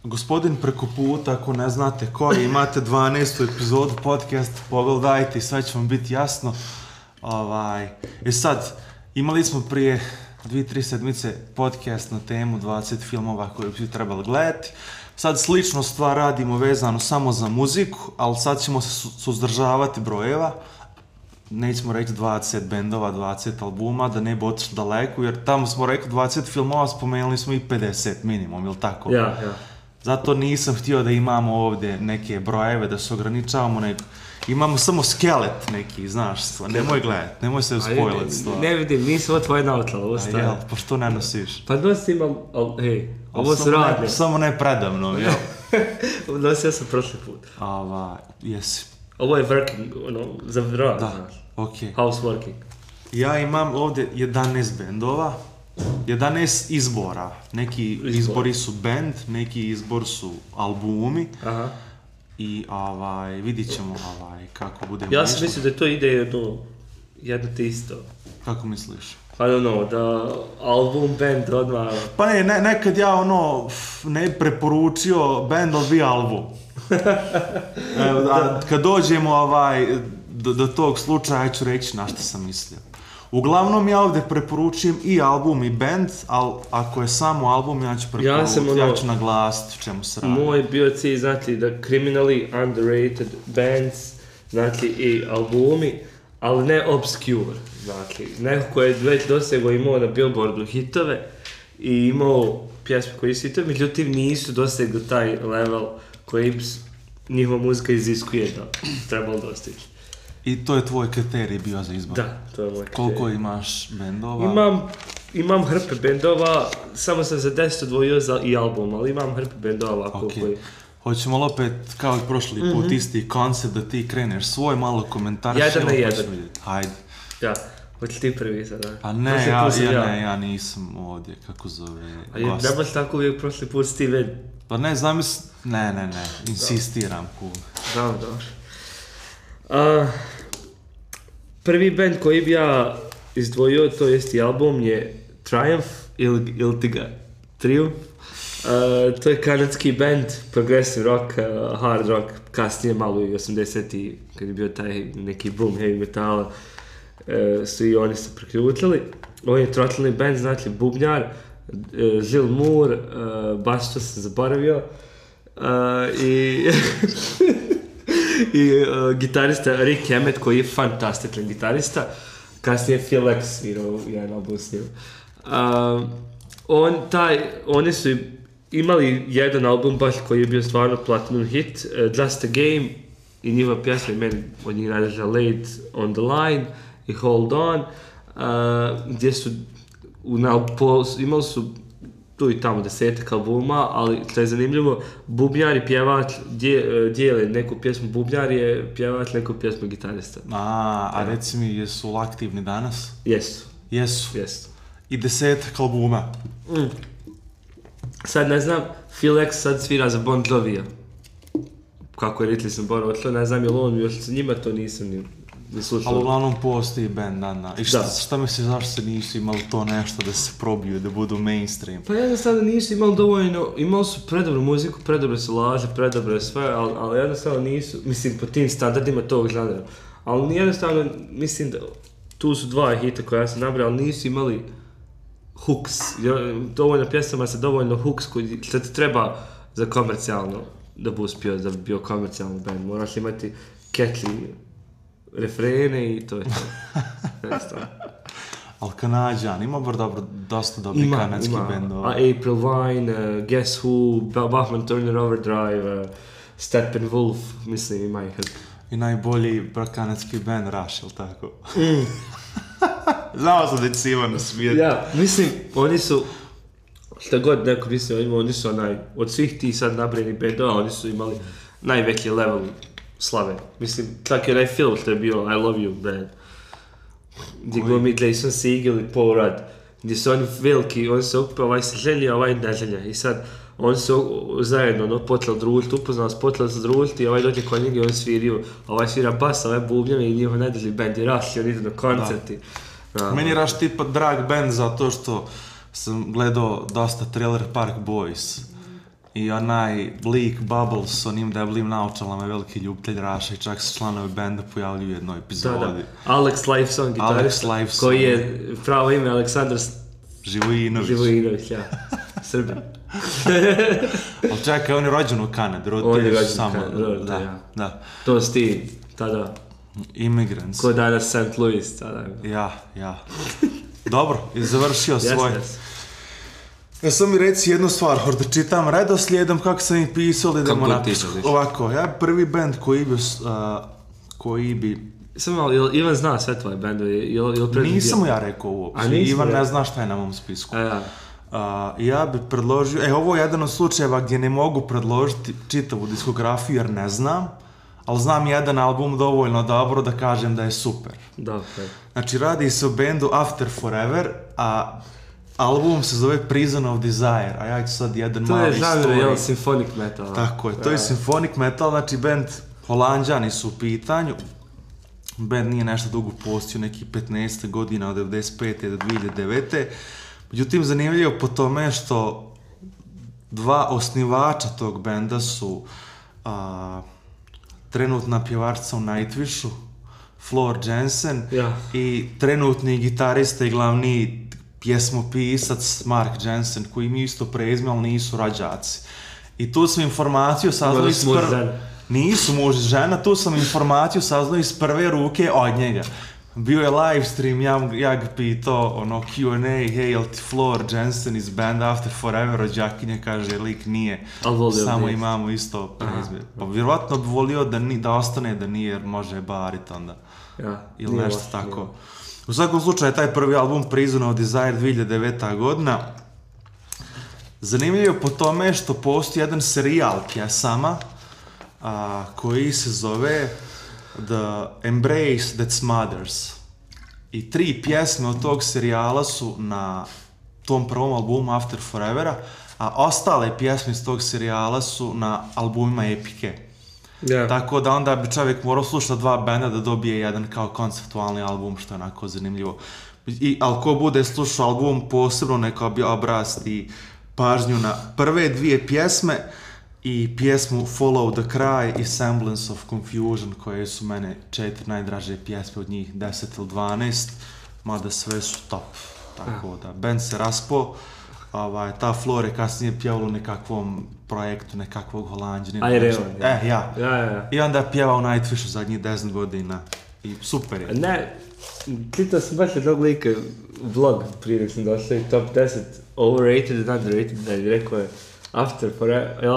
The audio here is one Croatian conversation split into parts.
Gospodin preko puta, ako ne znate ko je, imate 12. epizodu podcast, pogledajte i sve će vam biti jasno. Sad, imali smo prije 2-3 sedmice podcast na temu 20 filmova koje bi trebali gledati. Sad slično stvar radimo vezano samo za muziku, ali sad ćemo se suzdržavati brojeva. Nećemo reći 20 bendova, 20 albuma, da ne bi otišli daleko, jer tamo smo rekli 20 filmova, spomenuli smo i 50 minimum, ili tako? Ja. Zato nisam htio da imamo ovdje neke brojeve, da se ograničavamo, nego imamo samo skelet neki, znaš, nemoj gledati, nemoj se uspojliti stvar. Ne vidim, nisi ovo tvoje naučala, ovo staje. Jel, pa što ne nosiš? Pa nosim, hej, ovo su radne. Samo ne predavno, jel? Nosio sam prošli put. Jesi. Ovo je working, za rad, da, znaš. okej. Houseworking. Ja imam ovdje 11 bendova, 11 izbora. Neki izbori su band, neki izbor su albumi. Aha. I vidit ćemo kako bude. Ja sam mislio da to ide jedno te isto. Kako misliš? I don't know, da album, band odmah... Pa ne, nekad ja ne preporučio band, ali bi album. Kad dođemo do tog slučaja, ja ću reći na što sam mislio. Uglavnom ja ovdje preporučujem i album i band, ali ako je samo album, ja ću preporučiti, ja ću naglasiti u čemu se radi. Moj bio cilj, znati, da criminally underrated bands, znati, i albumi, ali ne obscure, znati. Neko ko je već dosegao imao na Billboardu hitove i imao pjesme koji su hitove, međutim nisu dosegli taj level koji njihova muzika iziskuje da trebalo dostići. I to je tvoj kriterij bio za izbor? Da, to je moj kriterij. Koliko imaš bendova? Imam hrpe bendova, samo sam za 10 odvojio za i album, ali imam hrpe bendova. Okay. Hoćemo li opet, kao i prošli put, isti koncept da ti kreneš svoj malo komentar? Jedan na jedan. Hajde. Ja, hoće ti prvi sada. A ne, ja nisam ovdje, kako zove, gost. A ne baš tako uvijek prošli put Steven? Pa ne, ne, insistiram. Dobro. Prvi band koji bi ja izdvojio, to jest i album, je Triumph ili Triumph. To je kanadski band, progressive rock, hard rock, kasnije malo i 80-ti, kad je bio taj neki boom heavy metala, su i oni se preključili. Ovo je trotlni band, znači bubnjar, Gil Moore, baš to sam zaboravio, i gitarista Rick Emmett, koji je fantastičan gitarista. Kasnije Phil X svirao jedan album s njim. Oni su imali jedan album baš koji je bio stvarno platinum hit, Just a Game, i njihova pjesma, meni od njih najdraža Late on the Line i Hold On, gdje su imali su tu i tamo 10 albuma, ali što je zanimljivo, bubnjar i pjevač dijele neku pjesmu, bubnjar je pjevač, neku pjesmu gitarista. A reci mi, jesu aktivni danas? Jesu. I 10 albuma? Sad ne znam, Phil X sad svira za Bon Jovija. Kako je Ritli sam otišao, ne znam je li on još sa njima, to nisam ni slušao. Ali uglavnom postoji band, I šta misliš, zašto se nisu imali to nešto da se probiju, da budu mainstream? Pa jednostavno nisu imali dovoljno, imali su predobru muziku, predobre su laže, predobre sve, ali jednostavno nisu, mislim, po tim standardima tog žanra. Ali jednostavno, mislim da tu su dva hita koja sam nabrao, ali nisu imali hooks. Dovoljno pjesama sa dovoljno hooks što ti treba za komercijalno da bi uspio, da bi bio komercijalni band. Moraš imati catchy refrene i to je to. Ali Kanadjan, ima dosta dobrih kanadskih bendova. April Wine, Guess Who, Bachman Turner Overdrive, Steppenwolf, mislim ima ih. I najbolji kanadski band Rush, ili tako? Znao sam da će Ivano smijeti. Ja, mislim, oni su, šta god neko mislim, oni su od svih tih sad nabrojnih bendova, oni su imali najveći level slave. Mislim, čak i onaj film što je bio I Love You band, gdje glumi Jason Segel i Paul Rudd, gdje su oni veliki, oni se okupio, ovaj se želja, ovaj ne želja. I sad, oni su zajedno počeli družiti, upoznali se, počeli se družiti i ovaj dođe kod njega i on svirio, ovaj svira bas, ovaj bubnjave i njihov najdrži band i Rush i oni idu na koncerti. Meni je Rush tipa drag band zato što sam gledao dosta Trailer Park Boys I onaj lik Bubbles s onim deblim naočalama je veliki ljubitelj Raša i čak se članovi benda pojavljuju u jednoj epizodi. Da. Alex Lifeson, gitarista, Lifeson. koji je pravo ime Aleksandar Živojinović. Ja. Srbin. Ali čekaj, on je rođen u Kanadi, roditelji su samo... Da. To si ti, tada. Immigrants. Ko danas St. Louis, tada. Ja. Dobro, i završio svoj. Ja sam mi reci jednu stvar, da čitam redoslijedom kako sam ih pisao, da idemo napisati. Ovako, ja prvi band koji bi... Samo, Ivan zna sve tvoje bendove? Nisam mu ja rekao uopće, Ivan ne zna šta je na mom spisku. Ja bi predložio, ovo je jedan od slučajeva gdje ne mogu predložiti čitavu diskografiju jer ne znam, ali znam jedan album dovoljno dobro da kažem da je super. Znači, radi se o bendu After Forever, a album se zove Prison of Desire, a ja ću sad jedan mali story. To je žanr, symphonic metal. Tako je, to je symphonic metal, znači band Holanđani su u pitanju. Band nije nešto dugo postio, neki 15 godina, od 95. do 2009. Međutim, zanimljivo po tome što dva osnivača tog benda su trenutna pjevačica u Nightwishu, Floor Jansen, i trenutni gitarista i glavni pjesmopisac Mark Jansen, koji imaju isto prezime, ali nisu rođaci. I tu sam informaciju saznali iz Nisu muž i žena, tu sam informaciju saznali iz prve ruke od njega. Bio je live stream, ja ga pitao, Q&A, hej, jel ti Floor Jansen iz banda After Forever, rođakinja, kaže, lik nije, samo imamo isto prezime. Pa vjerovatno bi volio da ostane da nije, jer može barit onda. Ili nešto tako. U svakom slučaju, taj prvi album Prison of Desire 2009. godina. Zanimljivo po tome što postoji jedan serijal pjesama koji se zove The Embrace That Smothers. I 3 pjesme od tog serijala su na tom prvom albumu After Forevera, a ostale pjesme iz tog serijala su na albumima Epike. Tako da onda bi čovjek morao slušati 2 benda da dobije jedan kao konceptualni album, što je onako zanimljivo. Ali ko bude slušao album posebno, neka bi obrasti pažnju na prve 2 pjesme i pjesmu Follow the Cry i Semblance of Confusion, koje su mene 4 najdraže pjesme od njih, 10 ili 12, mada sve su top. Tako da, band se raspo, ta Flor je kasnije pjevala u nekakvom projektu, nekakvog Holanđanina. I onda je pjevao u Nightwishu zadnjih 10 godina. I super je. Ne, čitao sam baš jednog lika vlog prije nek sam došao i top 10 overrated and underrated, da je rekao je After Forever,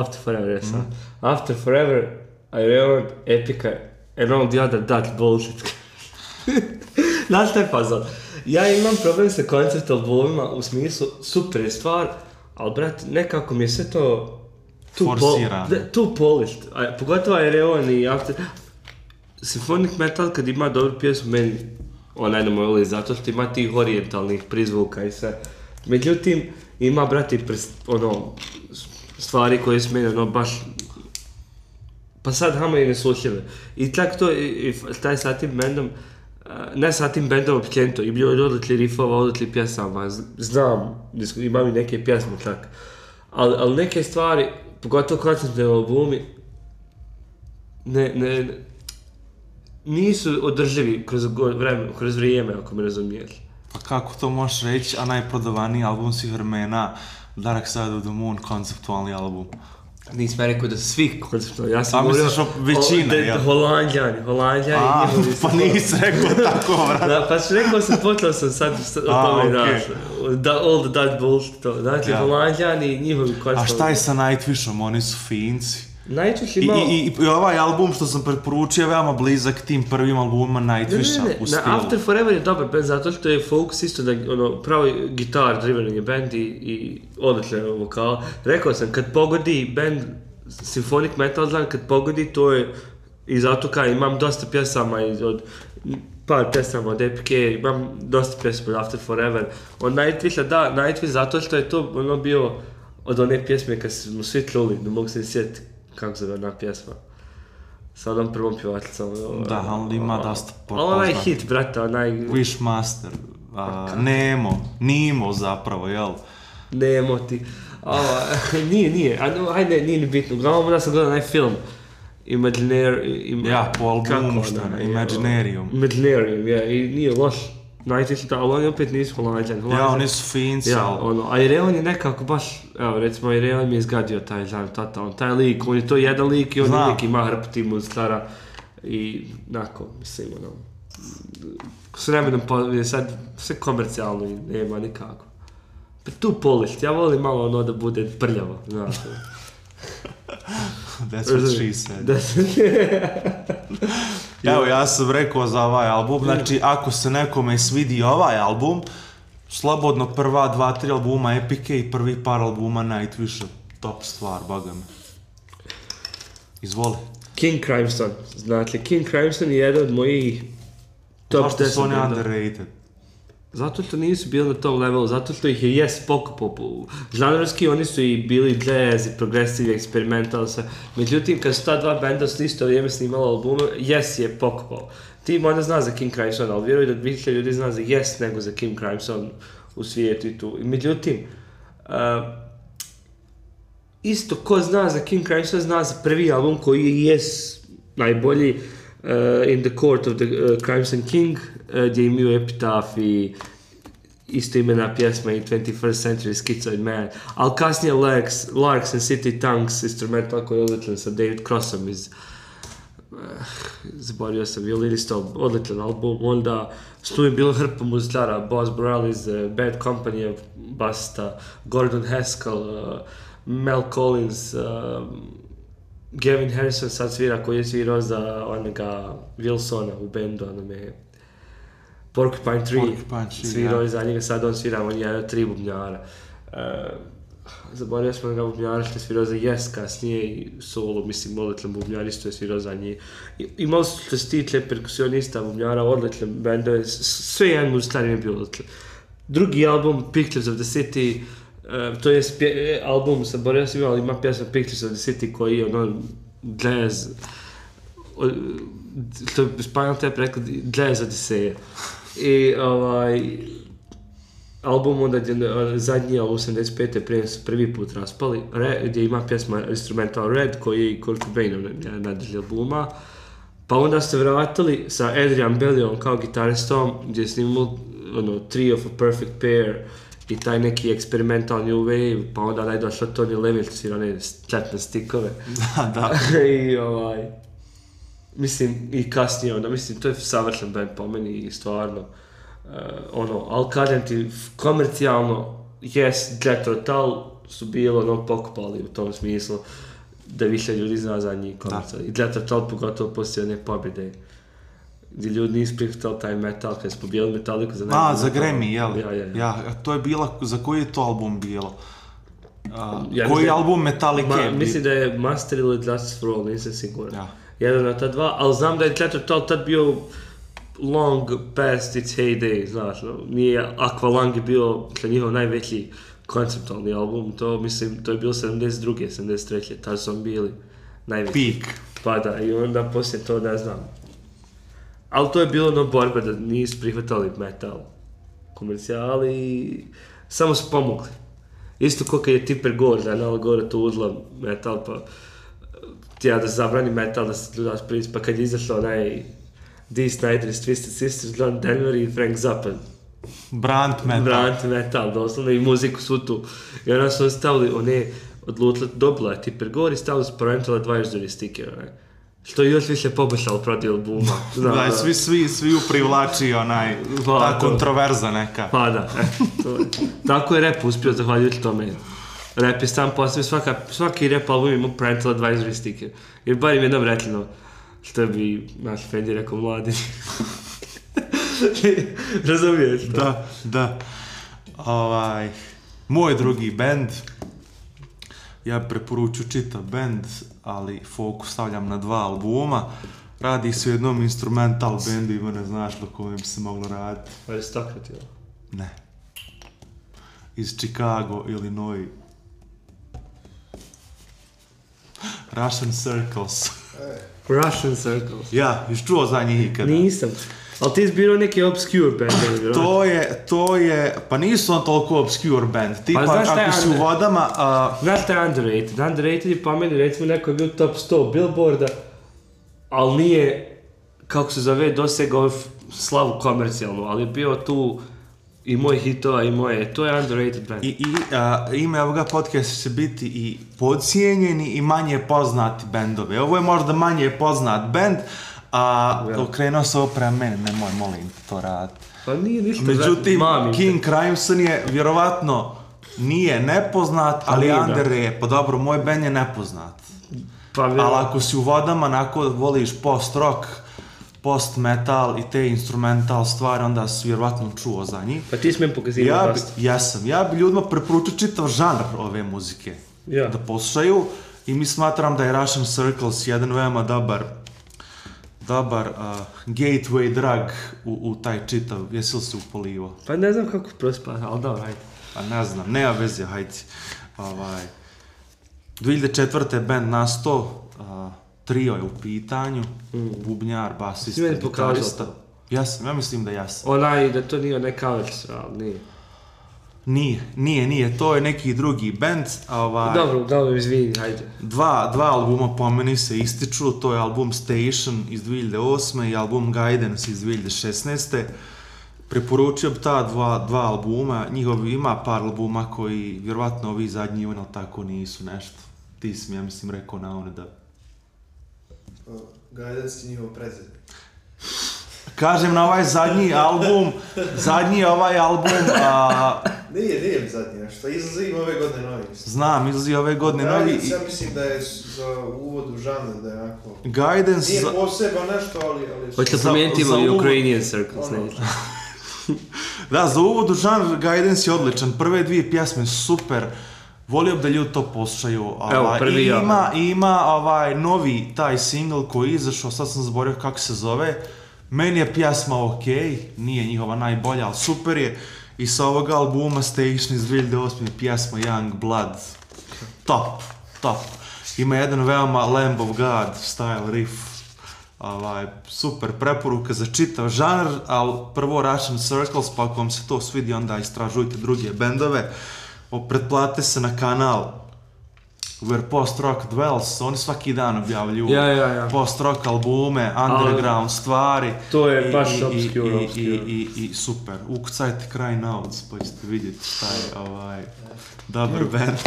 After Forever, Ireland, Epica, and all the other Dutch bullshit. Znaš šta je fazon? Ja imam problem sa koncept albumima u smislu super je stvar, ali brat, nekako mi je sve to too polished. Pogotovo Ireland i After... Symphonic metal kad ima dobru pjesmu, meni onaj ne voli zato što ima tih orijentalnih prizvuka i sve. Međutim, ima, brati, stvari koje su meni, baš... Pa sad hama i neslušljive. I tako to, taj sa tim bendom, ne sa tim bendom općenito, i bilo je odlični riffova, odlični pjesama, znam, imam i neke pjesme čak. Ali neke stvari, pogotovo konceptne albumi, nisu održivi kroz vrijeme, ako me razumiješ. Pa kako to možeš reći, a najprodavaniji album svih vremena, Dark Side of the Moon, konceptualni album? Nisam rekao da su svi konceptualni, ja sam govorio većina, Holanđani pa nisi rekao tako, vrat. Da, pa rekao sam, počeo sam sad o tome all the Dutch bullshit, znači Holanđani i njihovi konceptualni. A šta je sa Nightwishom, oni su Finci? Nightwish imao... I ovaj album što sam preporučio je veoma blizak tim prvim albumima Nightwisha u stilu. After Forever je dobar band zato što je Focus isto da pravi guitar driven je band i odličan vokal. Rekao sam, kad pogodi band symphonic metal, znam, kad pogodi to je i zato kaj imam dosta pjesama par pjesama od Epice, imam dosta pjesama od After Forever. Od Nightwisha, da, Nightwish zato što je to bio od one pjesme kad smo svi čuli, ne mogu se sjetiti kako zove ona pjesma. Sa onom prvom pjevačicom. Da, ali ima dosta poznat. Onaj hit, brata, onaj... Wishmaster, Nemo zapravo, jel? Nemo ti. Nije. Ajde, nije ni bitno. Uglavnom da sam gledao onaj film. Po albumu što je, Imaginarium. Imaginarium, i nije loš. Najtišta, ali oni opet nisu Holanđani. Oni su Finci, a Ireon je nekako baš, evo recimo Ireon mi je izgadio taj žan, taj lik, on je to jedan lik i on uvijek ima hrpu tim stara i nako, mislim, s vremenom je sad sve komercijalno i nema nikako. Pa tu polišt, ja volim malo da bude prljavo, znaš. That's what she said. Evo, ja sam rekao za ovaj album, znači ako se nekome svidi ovaj album, slobodno prva 2-3 albuma Epike i prvi par albuma Nightwisha, top stvar, baga me. Izvoli. King Crimson, znači King Crimson je jedan od mojih top 10. Zašto su oni underrated? Zato što nisu bili na tom levelu, zato što ih je pokupao. Žanrovski oni su i bili jazz i progressive, experimental, sve. Međutim, kad su ta dva benda s isto vrijeme snimala albume, je pokupao. Ti možda zna za King Crimson, ali vjeruj da više ljudi zna za nego za King Crimson u svijetu i tu. Međutim, isto ko zna za King Crimson, zna za prvi album koji je najbolji, In the Court of the Crimson King, gdje imaju Epitaph i isto imena pjesma i 21st Century Schizoid Man, ali kasnije Larks and City Tongues instrumental koji je odličan sa David Crossom iz zaboravio sam, violinista, odličan album, onda tu je bilo hrpa muzikara, Boz Burrell iz Bad Company, basista, Gordon Haskell, Mel Collins, Gavin Harrison sad svira koji je svirao za onoga Wilsona u bendu, onome Porcupine 3, svirao je za njega, sad on svira, on je 3 bubnjara. Zaboravio smo na bubnjara što je svirao za Yes kasnije i solo, mislim, odličan bubnjar, isto je svirao za njih. Imali su što se tiče perkusionista, bubnjara, odličan bendove, sve jedan muzikar je bio odličan. Drugi album, Pictures of the City, to je album, zaboravio sam ali ima pjesma Pictures of the City koji je jazz, što je Spinal Tap rekao, jazz Odiseja. I album onda zadnji, 85. prije su prvi put raspali, gdje ima pjesma Instrumental Red koji je i Kurt Cobainov najdržli albuma. Pa onda ste vratili sa Adrian Bellion kao gitaristom gdje je snimali Tree of a Perfect Pair i taj neki eksperimental new wave, pa onda je došao Tony Levin što svira one četne stikove. Da. I mislim, i kasnije onda, mislim, to je savršen band po meni i stvarno, ali kažem ti, komercijalno, Jethro Tull su bilo pokupali u tom smislu da više ljudi zna za njih komercijalno. I Jethro Tull pogotovo poslije one pobjede, gdje ljudi nisu prihvatali taj metal, kad su pobijeli Metalliku za nekog. Za Grammy, jel? Ja, to je bila, za koji je to album bilo? Koji album Metallica je bio? Mislim da je Master ili Justice for All, nisam siguran. Ja. Jedan od ta dva, ali znam da je Jethro Tull tad bio long past its heyday, znaš, nije Aqualung je bio njihov najveći konceptualni album, to mislim, to je bilo 72. 73. tad su bili najveći. Peak. Pa da, i onda poslije to ne znam. Ali to je bilo borba da nisu prihvatali metal komercijali i samo su pomogli. Isto kao kad je Tipper Gore, da je Nala Gore tu uzla metal, pa tijela da zabrani metal, da se ljudaš prič, pa kad je izašao onaj Dee Snider iz Twisted Sisters, John Denver i Frank Zappa. Brand metal, doslovno, i muziku svu tu. I onda su stavili, odlučili, dobila je Tipper Gore i stavili su Parental Advisory sticker, što je još više poboljšalo protiv albuma. Da, svi uprivlači ta kontroverza neka. Pa da, tako je rap uspio zahvaljujući tome. Rap je sam postavio, svaki rap album ima Parental Advisory sticker. Jer bar im jednom rekli, što bi naš Fendi rekao mladi. Razumiješ to? Da. Moj drugi band, ja preporučujem čitav band, ali fokus stavljam na 2 albuma. Radi se u jednom instrumental bandu, ima ne znaš do kome bi se moglo raditi. Aristocrat, ili? Ne. Iz Chicago, Illinois. Russian Circles. Russian Circles. Ja, jesi čuo za njih ikada? Nisam. Ali ti zbirao neki obscure band. To je, pa nisu on toliko obscure band. Tipa, ako si u vodama... Znaš šta je underrated? Underrated je po meni, recimo, neko je bio top 100 Billboarda, ali nije, kako se zove, dosegao slavu komercijalnu, ali je bio tu i moj hitova i moje. To je underrated band. Ime ovoga podcasta će biti i podcijenjeni i manje poznati bendovi. Ovo je možda manje poznat band, okrenuo se ovo prema meni, nemoj, molim to raditi. Pa nije ništa. Međutim, King Crimson je vjerovatno nije nepoznat, ali under je, pa dobro, moj band je nepoznat. Ali ako si u vodama, onako voliš post-rock, post-metal i te instrumental stvari, onda si vjerovatno čuo za njih. Pa ti smijem pokazivati dosta. Ja bi ljudima preporučio čitav žanr ove muzike da poslušaju i mi smatram da je Russian Circles jedan veoma dobar gateway drug u taj čitav. Jesi li se upolivo? Pa ne znam kako prospa, ali dobro, hajde. Pa ne znam, nema veze, hajde. 2004. band nastao, trio je u pitanju, bubnjar, basista, gitarista. Ja mislim da jasam. Da to nije onaj Covers, ali nije. Nije, to je neki drugi band. Dobro, izvini, hajde. Dva albuma po meni se ističu, to je album Station iz 2008. i album Guidance iz 2016. Preporučio bi ta dva albuma, njihovi ima par albuma koji vjerovatno ovi zadnji ali tako nisu nešto. Ti si mi, ja mislim, rekao na one da... Guidance je njihov prezid. Kažem na ovaj zadnji album... Nije zadnji nešto, izlazi ove godine novi. Znam, izlazi ove godine novi. Guidance, ja mislim da je za uvod u žanr, da je onako... Guidance... Nije posebno nešto, ali... Hoće li promijeniti Ukrainian Circles, ne? Da, za uvod u žanr Guidance je odličan. Prve dvije pjesme super. Volio bi da ljudi to poslušaju. Ima novi taj single koji je izašao, sad sam zaboravio kako se zove. Meni je pjesma ok, nije njihova najbolja, ali super je. I sa ovog albuma Station iz 2008. pjesma Young Blood. Top. Ima jedan veoma Lamb of God style riff. Super preporuka za čitav žanr, ali prvo Russian Circles, pa ako vam se to svidi, onda istražujte druge bendove. Pretplate se na kanal Where Post Rock Dwells, oni svaki dan objavljuju post rock albume, underground stvari. To je baš obscure. I super, ukucajte Crying Outs pa ćete vidjeti šta je dobar band.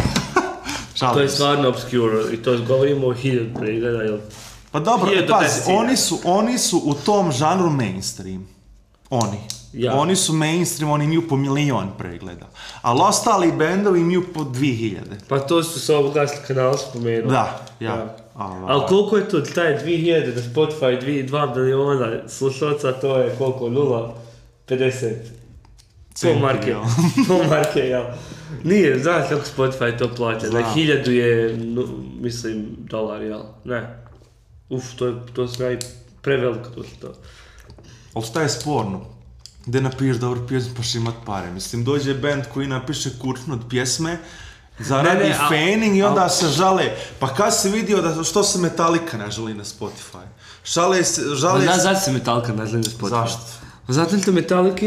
To je stvarno obscure i to govorimo o 1000 pregleda, jel? Pa dobro, pazi, oni su u tom žanru mainstream. Oni su mainstream, oni imaju po 1.000.000 pregleda. Ali ostali bendovi imaju po 2.000. Pa to su se obogasli kanal spomenuli. Da. Ali koliko je to, taj 2.000 na Spotify, 2 miliona slušalca, to je koliko, 0,50? Po marke, jel? Nije, znaš kako Spotify to plaća, da 1.000 je, mislim, dolar, jel? Ne. To je preveliko to. Ali šta je sporno? Gde napišeš dobru pjesmu pa će imat pare. Mislim, dođe band koji napiše kurčnu od pjesme, zaradi faning i onda se žale. Pa kad si vidio da što se Metallica ne žali na Spotify? Žale se... Zašto se Metallica ne žali na Spotify? Zašto? Zato što Metallica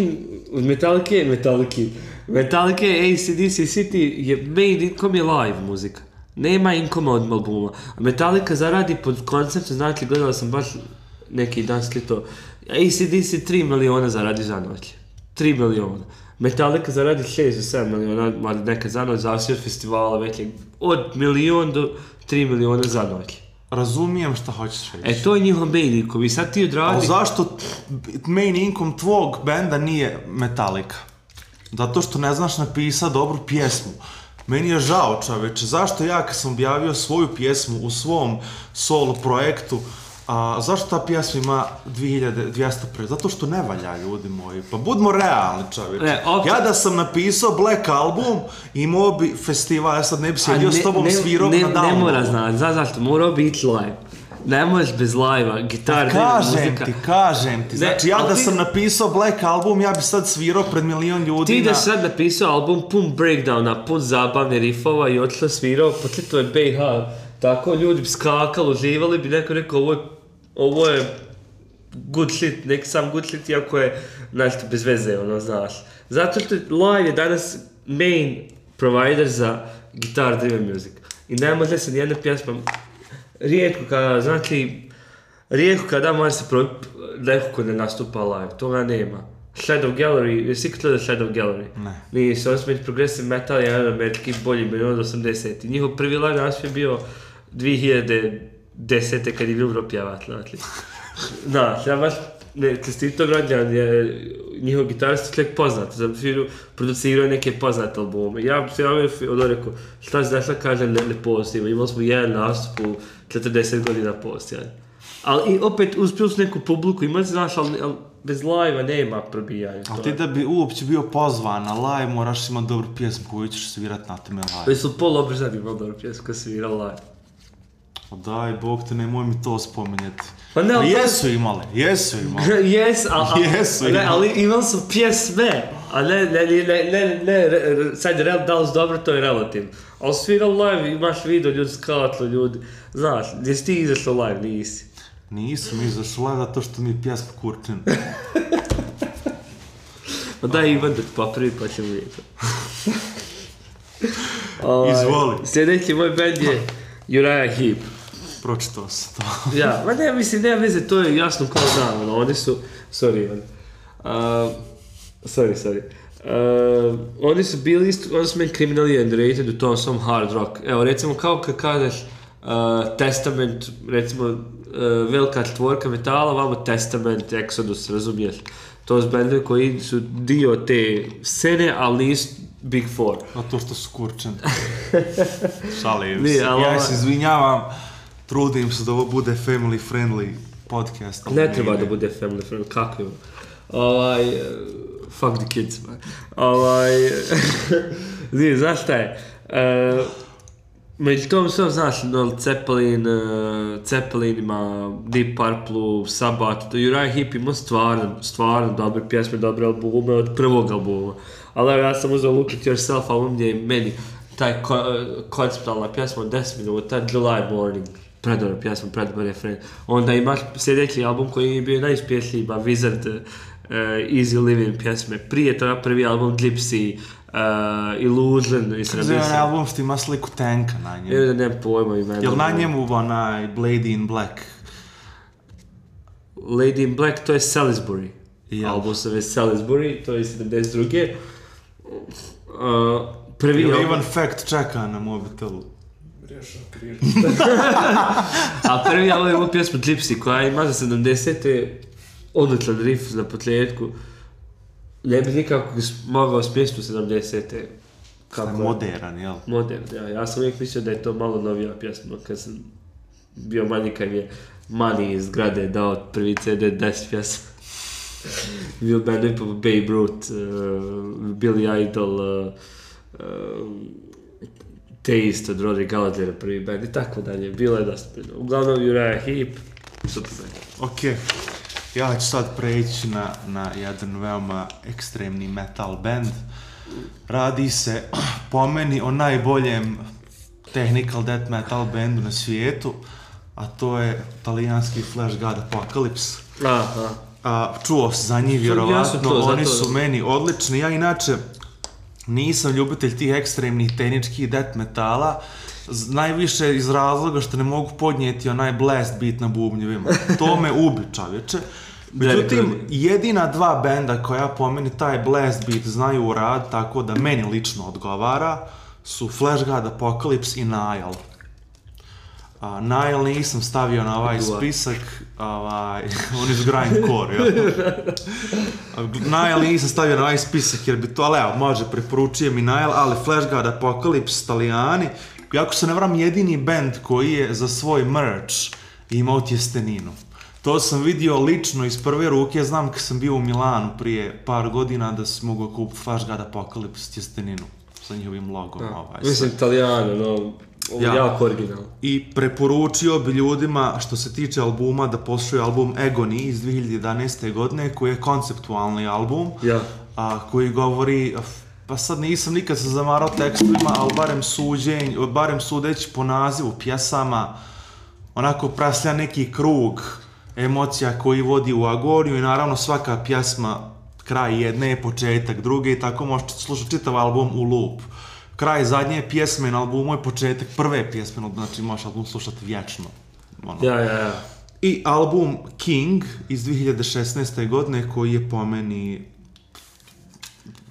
AC/DC City je made income je live muzika. Nema inkoma od albuma. Metallica zaradi pod konceptom, znači gledala sam baš neki dan slito. AC/DC 3 miliona zaradi za noć. 3 miliona. Metallica zaradi 6 do 7 miliona, nekad za noć, zavisi od festivala već od 1.000.000 do 3 miliona za noć. Razumijem šta hoćeš reći. To je njihov main income i sad ti odradi... Ali zašto main income tvog benda nije Metallica? Zato što ne znaš napisati dobru pjesmu. Meni je žao, čoveče, zašto ja kad sam objavio svoju pjesmu u svom solo projektu, zašto ta pjesma ima 2200 pregleda? Zato što ne valja, ljudi moji. Pa budimo realni, čovječe. Ja da sam napisao Black Album, imao bi festival, ja sad ne bi sjedio s tobom svirao na downloadu. Ne mora znati, znaš zašto, mora biti live. Ne možeš bez live-a, gitar, muzika. Kažem ti, znači ja da sam napisao Black Album, ja bi sad svirao pred 1.000.000 ljudi. Ti da sad napisao album pun breakdowna, pun zabavne riffova i odšla svirao, pa to je BiH tako ljudi bi skakali, uživali bi, neko rekao ovo je good shit, neki sam good shit, iako je nešto bez veze, ono, znaš. Zato što live je danas main provider za guitar driven music. I ne može se nijedna pjesma, rijetko kada može se probiti neko ko ne nastupa live, toga nema. Shadow Gallery, jesi ikad gledao Shadow Gallery? Ne. Nisu, oni su među progressive metal, jedan američki bolji band od 80. Njihov prvi live nastup je bio 2010. kad je Wilbur pjevati, znači. Da, ja baš čestito građan je njihov gitarist čovjek poznat, producirao neke poznate albume. Ja bi se javio rekao, šta se dašla kaže ne postoji, imali smo jedan nastup u 40 godina postoji. Ali i opet uz plus neku publiku imali, znaš, ali bez live-a nema probijanja. Ali ti da bi uopće bio pozvan na live, moraš imati dobru pjesmu koju ćeš svirat na teme live. Jesu Paul Obersnel imao dobru pjesmu koja svira live. Daj, Bog te, nemoj mi to spominjati. Pa ne, jesu imali. Jesu, imali. ali imali su pjesme, a ne, sad da li su dobro, to je relativno. Ali svira live, imaš video, ljudi skatlo, ljudi, znaš, jesi ti izašao live, nisi. Nisam izašao live zato što mi je pjesma kurčina. Pa daj Ivan da ti popravi, pa ćemo vidjeti. Izvoli. Sljedeći moj band je Uriah Heep. Pročitao sam to. Ja, ma ne, mislim, nema veze, to je jasno kao dan, oni su, sorry Ivan, oni su bili isto, oni su meni criminally underrated u tom svom hard rock. Evo, recimo, kao kad kažeš Testament, recimo, velika četvorka metala, vamo Testament, Exodus, razumiješ? To su bendovi koji su dio te scene, ali nisu Big Four. A to što su kurčeni. Šalim se. Ja se izvinjavam, trudim se da ovo bude family friendly podcast. Ne treba da bude family friendly, kako je? Fuck the kids, man. Nije, znaš šta je? Među tom sve, znaš, Zeppelin ima Deep Purple, Sabbath, Uriah Heep ima stvarno dobre pjesme, dobre albume od prvog albuma. Ali evo, ja sam uzeo Look at Yourself album gdje je meni taj konceptualna pjesma od 10 minuta, July Morning, predobra pjesma, predobar refren. Onda imaš sljedeći album koji je bio najuspješniji, Wizard, Easy Living pjesme. Prije toga prvi album Gypsy, Illusion i Kada je onaj album što ima sliku tanka na njemu? Evo da nemam pojma imena. Jel na njemu onaj Lady in Black? Lady in Black, to je Salisbury. Album se zove Salisbury, to je 72. Prvi album... Ivan Fact čeka na mobitelu. A prvi album je imao pjesmu Gypsy koja ima za 70. odličan riff na potljetku. Ne bi nikako mogao spješti u 70. Kako je modern, jel? Modern, ja. Ja sam uvijek mislio da je to malo novija pjesma, kad sam bio manji, kad je Mani iz Grade dao prvi CD 10 pjesma. Bio bandovi po Babe Ruth, Billy Idol, Taste od Rory Gallaghera prvi band i tako dalje. Bilo je dosta. Uglavnom Uriah Heep, super band. Okej. Ja ću sad preći na jedan veoma ekstremni metal band. Radi se po meni o najboljem technical death metal bandu na svijetu, a to je talijanski Flash God Apocalypse. Čuo sam za njih vjerovatno, oni su meni odlični. Ja inače nisam ljubitelj tih ekstremnih tehničkih death metala, najviše iz razloga što ne mogu podnijeti onaj blast beat na bubnjevima. To me ubi, čovječe. Međutim, jedina dva benda koja po meni taj blast beat znaju u rad, tako da meni lično odgovara, su Flash God Apocalypse i Nile. Nile nisam stavio na ovaj spisak, oni su grindcore, jel? Nile nisam stavio na ovaj spisak jer bi to, ali evo, može, preporučujem i Nile, ali Flash God Apocalypse, Talijani, jako se ne vram, jedini band koji je za svoj merch imao tjesteninu. To sam vidio lično iz prve ruke, znam kad sam bio u Milanu prije par godina da sam mogao kupiti Flash God Apocalypse tjesteninu sa njihovim logom. Mislim, Italijano, no, jako originalno. I preporučio bi ljudima, što se tiče albuma, da poslušaju album Agony iz 2011. godine, koji je konceptualni album, koji govori pa sad nisam nikad se zamarao tekstovima, ali barem sudeći po nazivu pjesama, onako praslja neki krug emocija koji vodi u agoniju i naravno svaka pjesma, kraj jedne je početak druge i tako možete slušati čitav album u loop. Kraj zadnje pjesme na albumu je početak prve pjesme, znači možeš album slušati vječno. Ono. Ja. I album King iz 2016. godine koji je po meni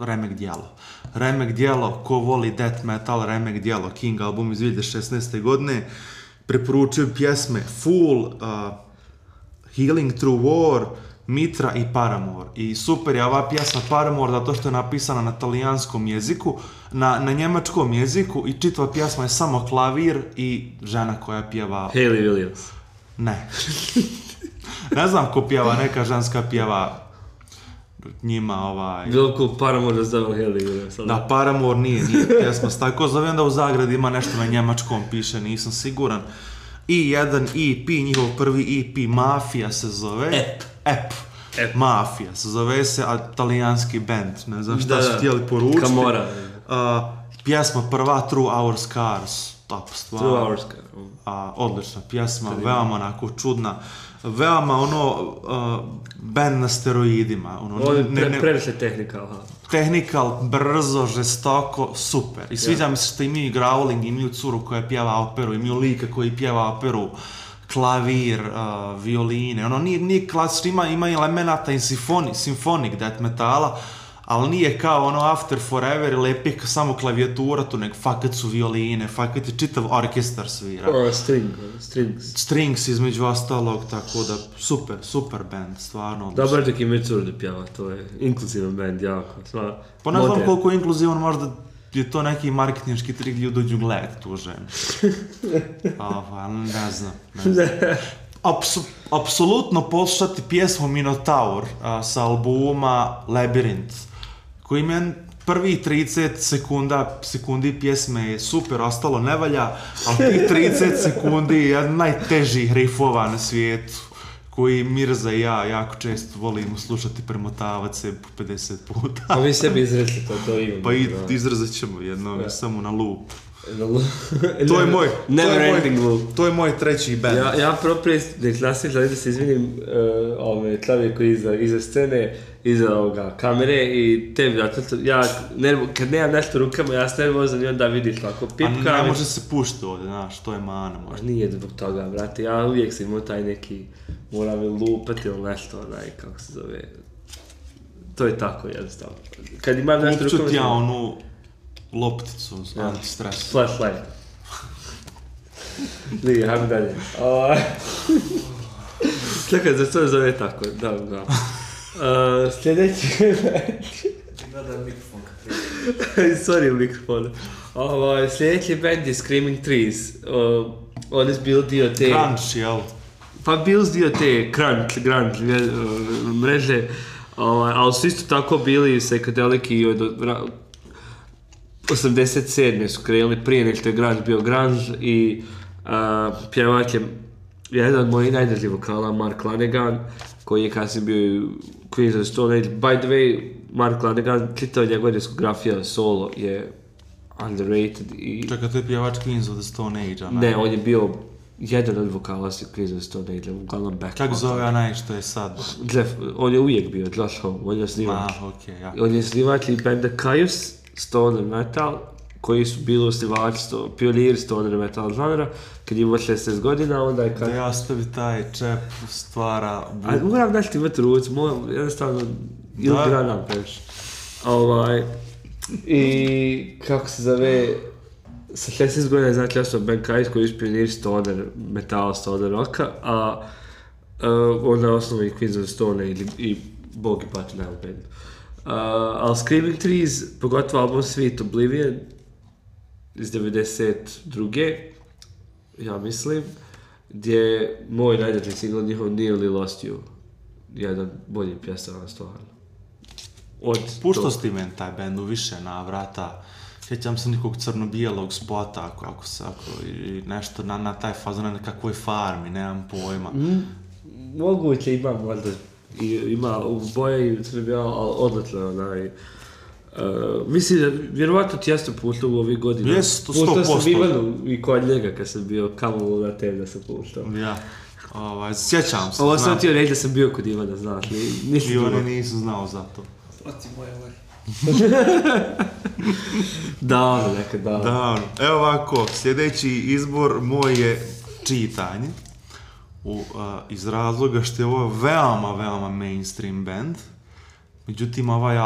remek djelo. Remek djelo, ko voli death metal, remek djelo. King album iz 2016. godine. Preporučujem pjesme Fool, Healing Through War, Mitra i Paramore. I super je ova pjesma Paramore zato što je napisana na talijanskom jeziku, na njemačkom jeziku i čitava pjesma je samo klavir i žena koja pjeva... Hayley Williams. Ne. Ne znam ko pjeva, neka ženska pjeva njima Bilo ko Paramore da zove Hayley Williams. Da, Paramore nije pjesma. Tako zovem da u Zagradi ima nešto na njemačkom piše, nisam siguran. I jedan EP, njihov prvi EP, Mafija se zove. Ep. Mafija se zove se, a talijanski band. Ne znam šta su htjeli poručiti. Camorra. Pjesma prva, Through Our Scars. Top stvar. Through Our Scars. Odlična pjesma, veoma onako čudna. Veoma band na steroidima. Ovo je previše Technical, brzo, žestoko, super. I sviđa mi se što imaju growling, imaju curu koja pjeva operu, imaju lika koji pjeva operu, klavir, violine. Ono nije klasično, ima elemenata i symphonic death metala, ali nije kao ono After Forever ili Epic samo klavijatura tu, nek fakat su violine, fakat je čitav orkestar svira. Strings između ostalog, tako da super band, stvarno. Dobar dok imaju curu da pjeva, to je inkluzivan band, jako. Pa ne znam koliko je inkluzivan, možda je to neki marketinški trik gdje dođu gledat tu ženu. Ne znam. Apsolutno poslušati pjesmu Minotaur sa albuma Labyrinth, koji mi prvi 30 sekundi pjesme je super, ostalo ne valja, ali tih 30 sekundi je jedan najtežih riffova na svijetu, koji Mirza i ja jako često volimo slušati, premotavati se po 50 puta. A vi sebi izrezli to imamo. Pa izrazit ćemo jedno, samo na loop. To je moj treći band. Ja prije neklasnih želim da se izvinim klavije koji iza scene, iza kamere i tebi, kad nemam nešto u rukama, ja sam nervozan i onda vidiš tako pipka. A ne može se pušti ovdje, znaš, to je mana možda. Nije zbog toga, brate, ja uvijek sam imao taj neki, moram lupati ili nešto, kako se zove, to je tako jednostavno. Kad imam nešto u rukama... Upću ti ja onu lopticu, anti-stres. Flashlight. Nije, hajmo dalje. Čekaj, za što zove tako? Da. Sljedeći... Nadam mikrofon kad Sorry, mikrofon. Sljedeći band je Screaming Trees. Oni su bili dio te... Crunch, jel? Pa bili su dio te grunge mreže, ali su isto tako bili psychedelic i od 87. su krenuli prije nek što je grunge bio grunge i pjevač je jedan od mojih najdržih vokala, Mark Lanegan, koji je kasnije bio Queens of the Stone Age. By the way, Mark Lanegan, čitava njegova diskografija solo je underrated i... Čekaj, to je pjevač Queens of the Stone Age, a ne, on je bio jedan od vokala Queens of the Stone Age, uglavnom back. Kako zove onaj što je sad? Jeff, on je uvijek bio, Josh Homme, on je snimač. On je snimač i benda Caius, stoner metal, koji su bili osnivači, pioniri stoner metal žanra, kad ima 16 godina, onda je Da ja stavi taj čep, stvara... A moram nešto imati ruci, jednostavno, ili granam previše. I kako se zove, sa 16 godina znači ja sam Ben Kais koji je pionir stoner metal, stoner rocka, a onda osnovi Queens of the Stone i Bog i pati na bandu. Ali Screaming Trees, pogotovo album Sweet Oblivion iz 92. ja mislim, gdje je moj najdraži single njihov Nearly Lost You, jedan bolji pjesama stvarno. Puštao si ti meni taj band u više navrata, sjećam se nekog crno-bijelog spota, ako i nešto na taj fazon, na kakvoj farmi, nemam pojma. Moguće ima možda, ima u boje i crno-bijelo, ali odlično Mislim, vjerovatno ti jasno puštao u ovih godina. Jes, 100%. Puštao sam Ivanu i kod njega kad sam bio kamo na tem da sam puštao. Ja. Sjećam se. Ovo sam ti reći da sam bio kod Ivana, znaš li? Ivane nisu znao za to. Oci moje ovaj. Davno, nekad davno. Da, evo ovako, sljedeći izbor moj je čitanje. Iz razloga što je ovo veoma mainstream band. Međutim, ovaj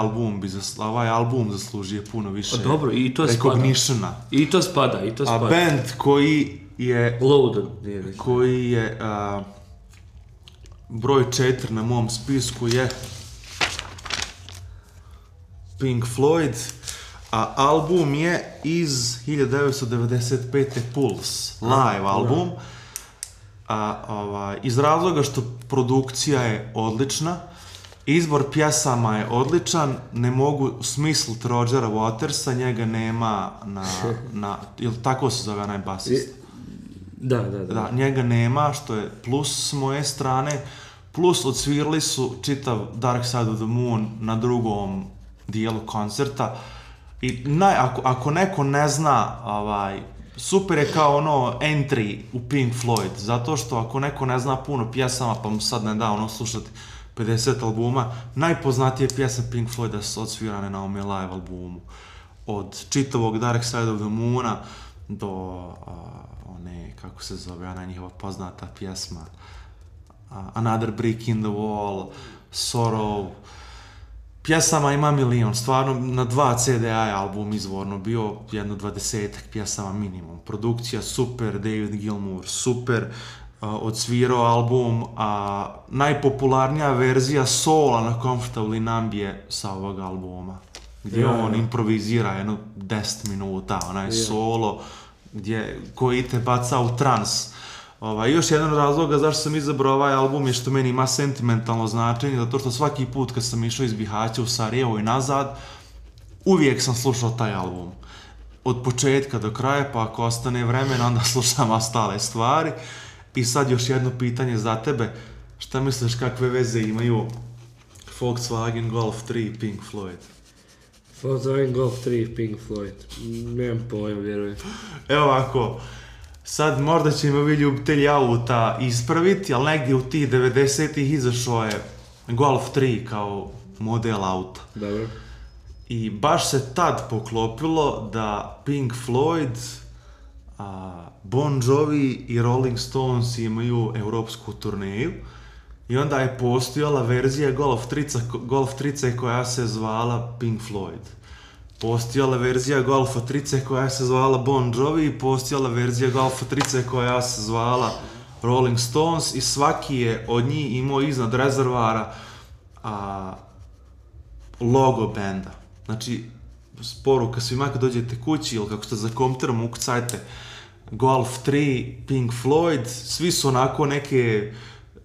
album zaslužuje puno više dobro, i to recognitiona. I to spada. A band koji je... Loaded. Koji je broj 4 na mom spisku je Pink Floyd, a album je iz 1995. Pulse, live album. Iz razloga što produkcija je odlična, izbor pjesama je odličan, ne mogu smisliti Rogera Watersa, njega nema na ili tako se zove onaj basist? Da, njega nema, što je plus s moje strane, plus odsvirali su čitav Dark Side of the Moon na drugom dijelu koncerta i ako neko ne zna, super je kao ono entry u Pink Floyd, zato što ako neko ne zna puno pjesama pa mu sad ne da slušati 50 albuma, najpoznatije pjesme Pink Floyda su odsvirane na ovome live albumu. Od čitavog Dark Side of the Moona do one, kako se zove, ona njihova poznata pjesma Another Brick in the Wall, Sorrow. Pjesama ima milion, stvarno na 2 CDI album izvorno bio jedno 20-ak pjesama minimum. Produkcija super, David Gilmour super, odsvirao album, a najpopularnija verzija sola na Comfortably Numb je sa ovog albuma, gdje on improvizira jedno 10 minuta, onaj solo koji te baca u trans. Još jedan od razloga zašto sam izabrao ovaj album je što meni ima sentimentalno značenje, zato što svaki put kad sam išao iz Bihaća u Sarajevo i nazad, uvijek sam slušao taj album. Od početka do kraja, pa ako ostane vremena, onda slušam ostale stvari. I sad još jedno pitanje za tebe. Šta misliš kakve veze imaju Volkswagen Golf 3 i Pink Floyd? Volkswagen Golf 3 i Pink Floyd. Nemam pojma, vjerujem. Evo ovako. Sad možda će me ovi ljubitelji auta ispraviti, ali negdje u tih 90-ih izašao je Golf 3 kao model auta. Dobro. I baš se tad poklopilo da Pink Floyd, Bon Jovi i Rolling Stones imaju europsku turneju i onda je postojala verzija Golf 3 koja se zvala Pink Floyd. Postojala verzija Golfa 3 koja se zvala Bon Jovi i postojala verzija Golfa 3 koja se zvala Rolling Stones i svaki je od njih imao iznad rezervara logo benda. Znači, poruka svima kad dođete kući ili kako ste za kompjuterom ukucajte Golf 3, Pink Floyd, svi su onako neke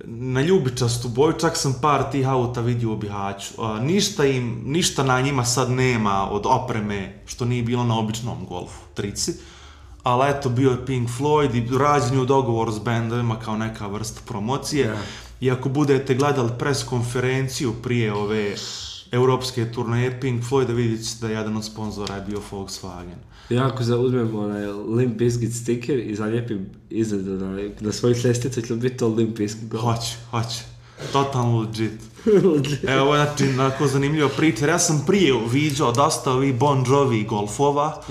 na ljubičastu boju, čak sam par tih auta vidio u Bihaću. Ništa na njima sad nema od opreme što nije bilo na običnom Golfu 3, ali eto bio je Pink Floyd i rađen u dogovoru s bendovima kao neka vrsta promocije. Yeah. I ako budete gledali pres konferenciju prije ove europske turneje Pink Floyda, vidjet ćete da jedan od sponzora je bio Volkswagen. Ja ako uzmem onaj Limp Bizkit sticker i zalijepim iznad na svojih ljestvica, će li biti to Limp Bizkit? Hoće. Totalno legit. Evo, ovo je znači onako zanimljiva priča. Ja sam prije viđao dosta ovih Bon Jovi golfova,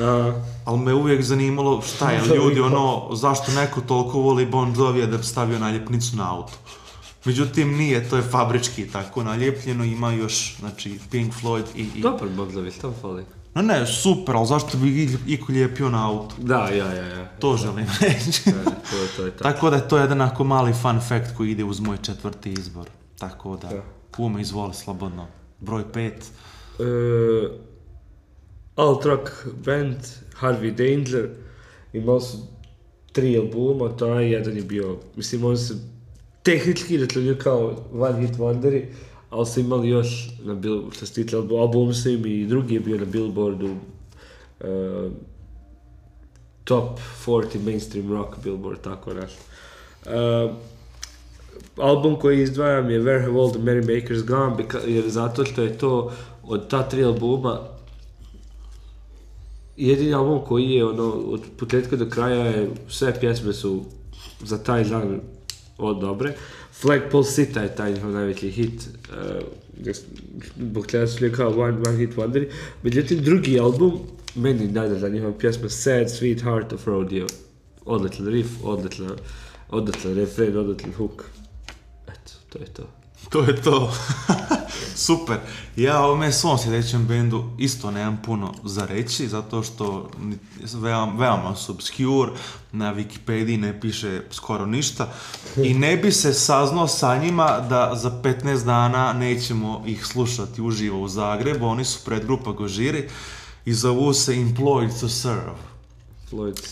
ali me uvijek zanimalo šta je ljudi, zašto neko toliko voli Bon Jovija da bi stavio naljepnicu na auto. Međutim, nije, to je fabrički tako naljepljeno, ima još, znači, Pink Floyd i... Dobar Bon Jovi, što fali? Ne, super, ali zašto bi iko lijepio na auto? Da, ja. To želim reći. To je tako da je to jedan ako mali fun fact koji ide uz moj 4. izbor. Tako da, kume, izvoli slobodno. Broj 5. Alt rock band, Harvey Danger, imali su 3 albuma, taj jedan je bio, mislim, on se tehnički retlanio kao one hit wonderi, ali su imali još, što se tiče album su im i drugi je bio na Billboardu, top 40 mainstream rock Billboard, tako nešto. Album koji izdvajam je Where Have All the Merrymakers Gone, jer zato što je to od ta 3 albuma jedini album koji je od početka do kraja je, sve pjesme su za taj žanr dobre. Flagpole Sita je taj njihov najveći hit, zbog čega su kao one hit wonderi. Međutim, drugi album, meni najdraža njihova pjesma Sad Sweet Heart of Rodeo. Odličan riff, odličan refren, odličan hook. Eto, to je to. To je to. Super. Ja o ovome svom sljedećem bendu isto nemam puno za reći, zato što veoma su obscure, na Wikipediji ne piše skoro ništa i ne bi se saznao sa njima da za 15 dana nećemo ih slušati uživo u Zagrebu. Oni su predgrupa Gojira i zovu se Employed to Serve.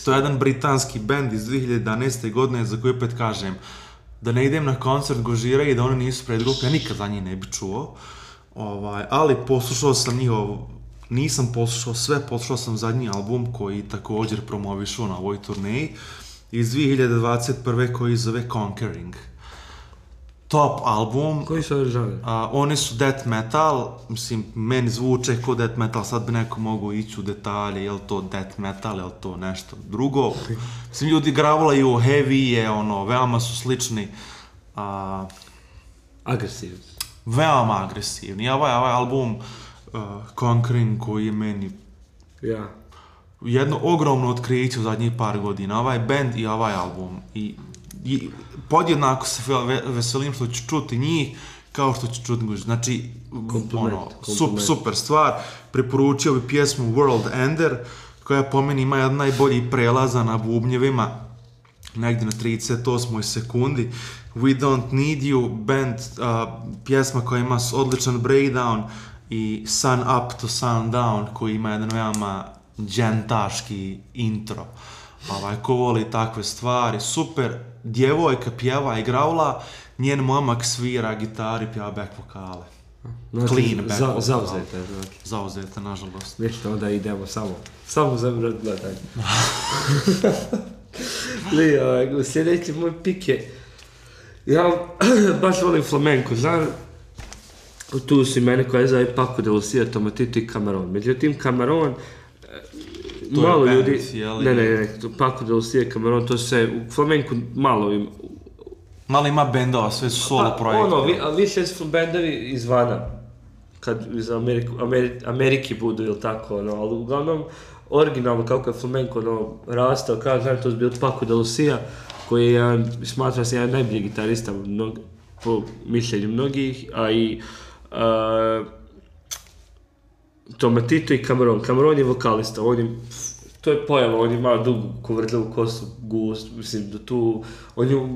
To je jedan britanski bend iz 2011. godine za koji opet kažem da ne idem na koncert Gojira i da oni nisu predgrupe, ja nikad za njih ne bi čuo. Ali poslušao sam nisam poslušao sve, poslušao sam zadnji album koji također promovišu na ovoj turneji iz 2021. koji zove Conquering. Top album. Koji su žanri? Oni su death metal, mislim, meni zvuče kao death metal, sad bi neko mogu ići u detalje, je li to death metal, je li to nešto drugo. Mislim, ljudi gravulaju heavy je, veoma su slični. Agresivni. Veoma agresivni. Ovaj album Conquering koji je meni jedno ogromno otkriće u zadnjih par godina. Ovaj band i ovaj album. I podjednako se veselim što ću čuti njih kao što ću čuti Gojira. Znači, super stvar. Preporučio bi pjesmu World Ender, koja po meni ima jedan najbolji prelaza na bubnjevima, negdje na 38. sekundi. We Don't Need You, band, pjesma koja ima odličan breakdown, i Sun Up to Sundown koji ima jedan veoma džentaški intro. Ko voli takve stvari, super. Djevojka pjeva i graula, njen momak svira gitari, pjeva back vokale. Clean back vokale. Zauzete. Zauzete, nažalost. Nešto, onda idemo samo za gledanje. Sljedeći moj pik je, ja baš volim flamenko, znam, tu su imene koje zove Paco de Lucia, Tomatito i Cameron. Međutim, Cameron, malo ljudi, ne, Paco de Lucia i Cameron, to se u flamenku malo ima bendova, sve su solo projekte. A više su bendovi izvana, kad iz Amerike budu ili tako, ali uglavnom, originalno kako je flamenko rastao, kao znam, to je bio Paco de Lucia, koji je, smatra se jedan najbolji gitarista po mišljenju mnogih, a i Tomatito i Cameron. Cameron je vokalista, to je pojava, on ima dugu kovrđavu kosu, gust, mislim da tu, on je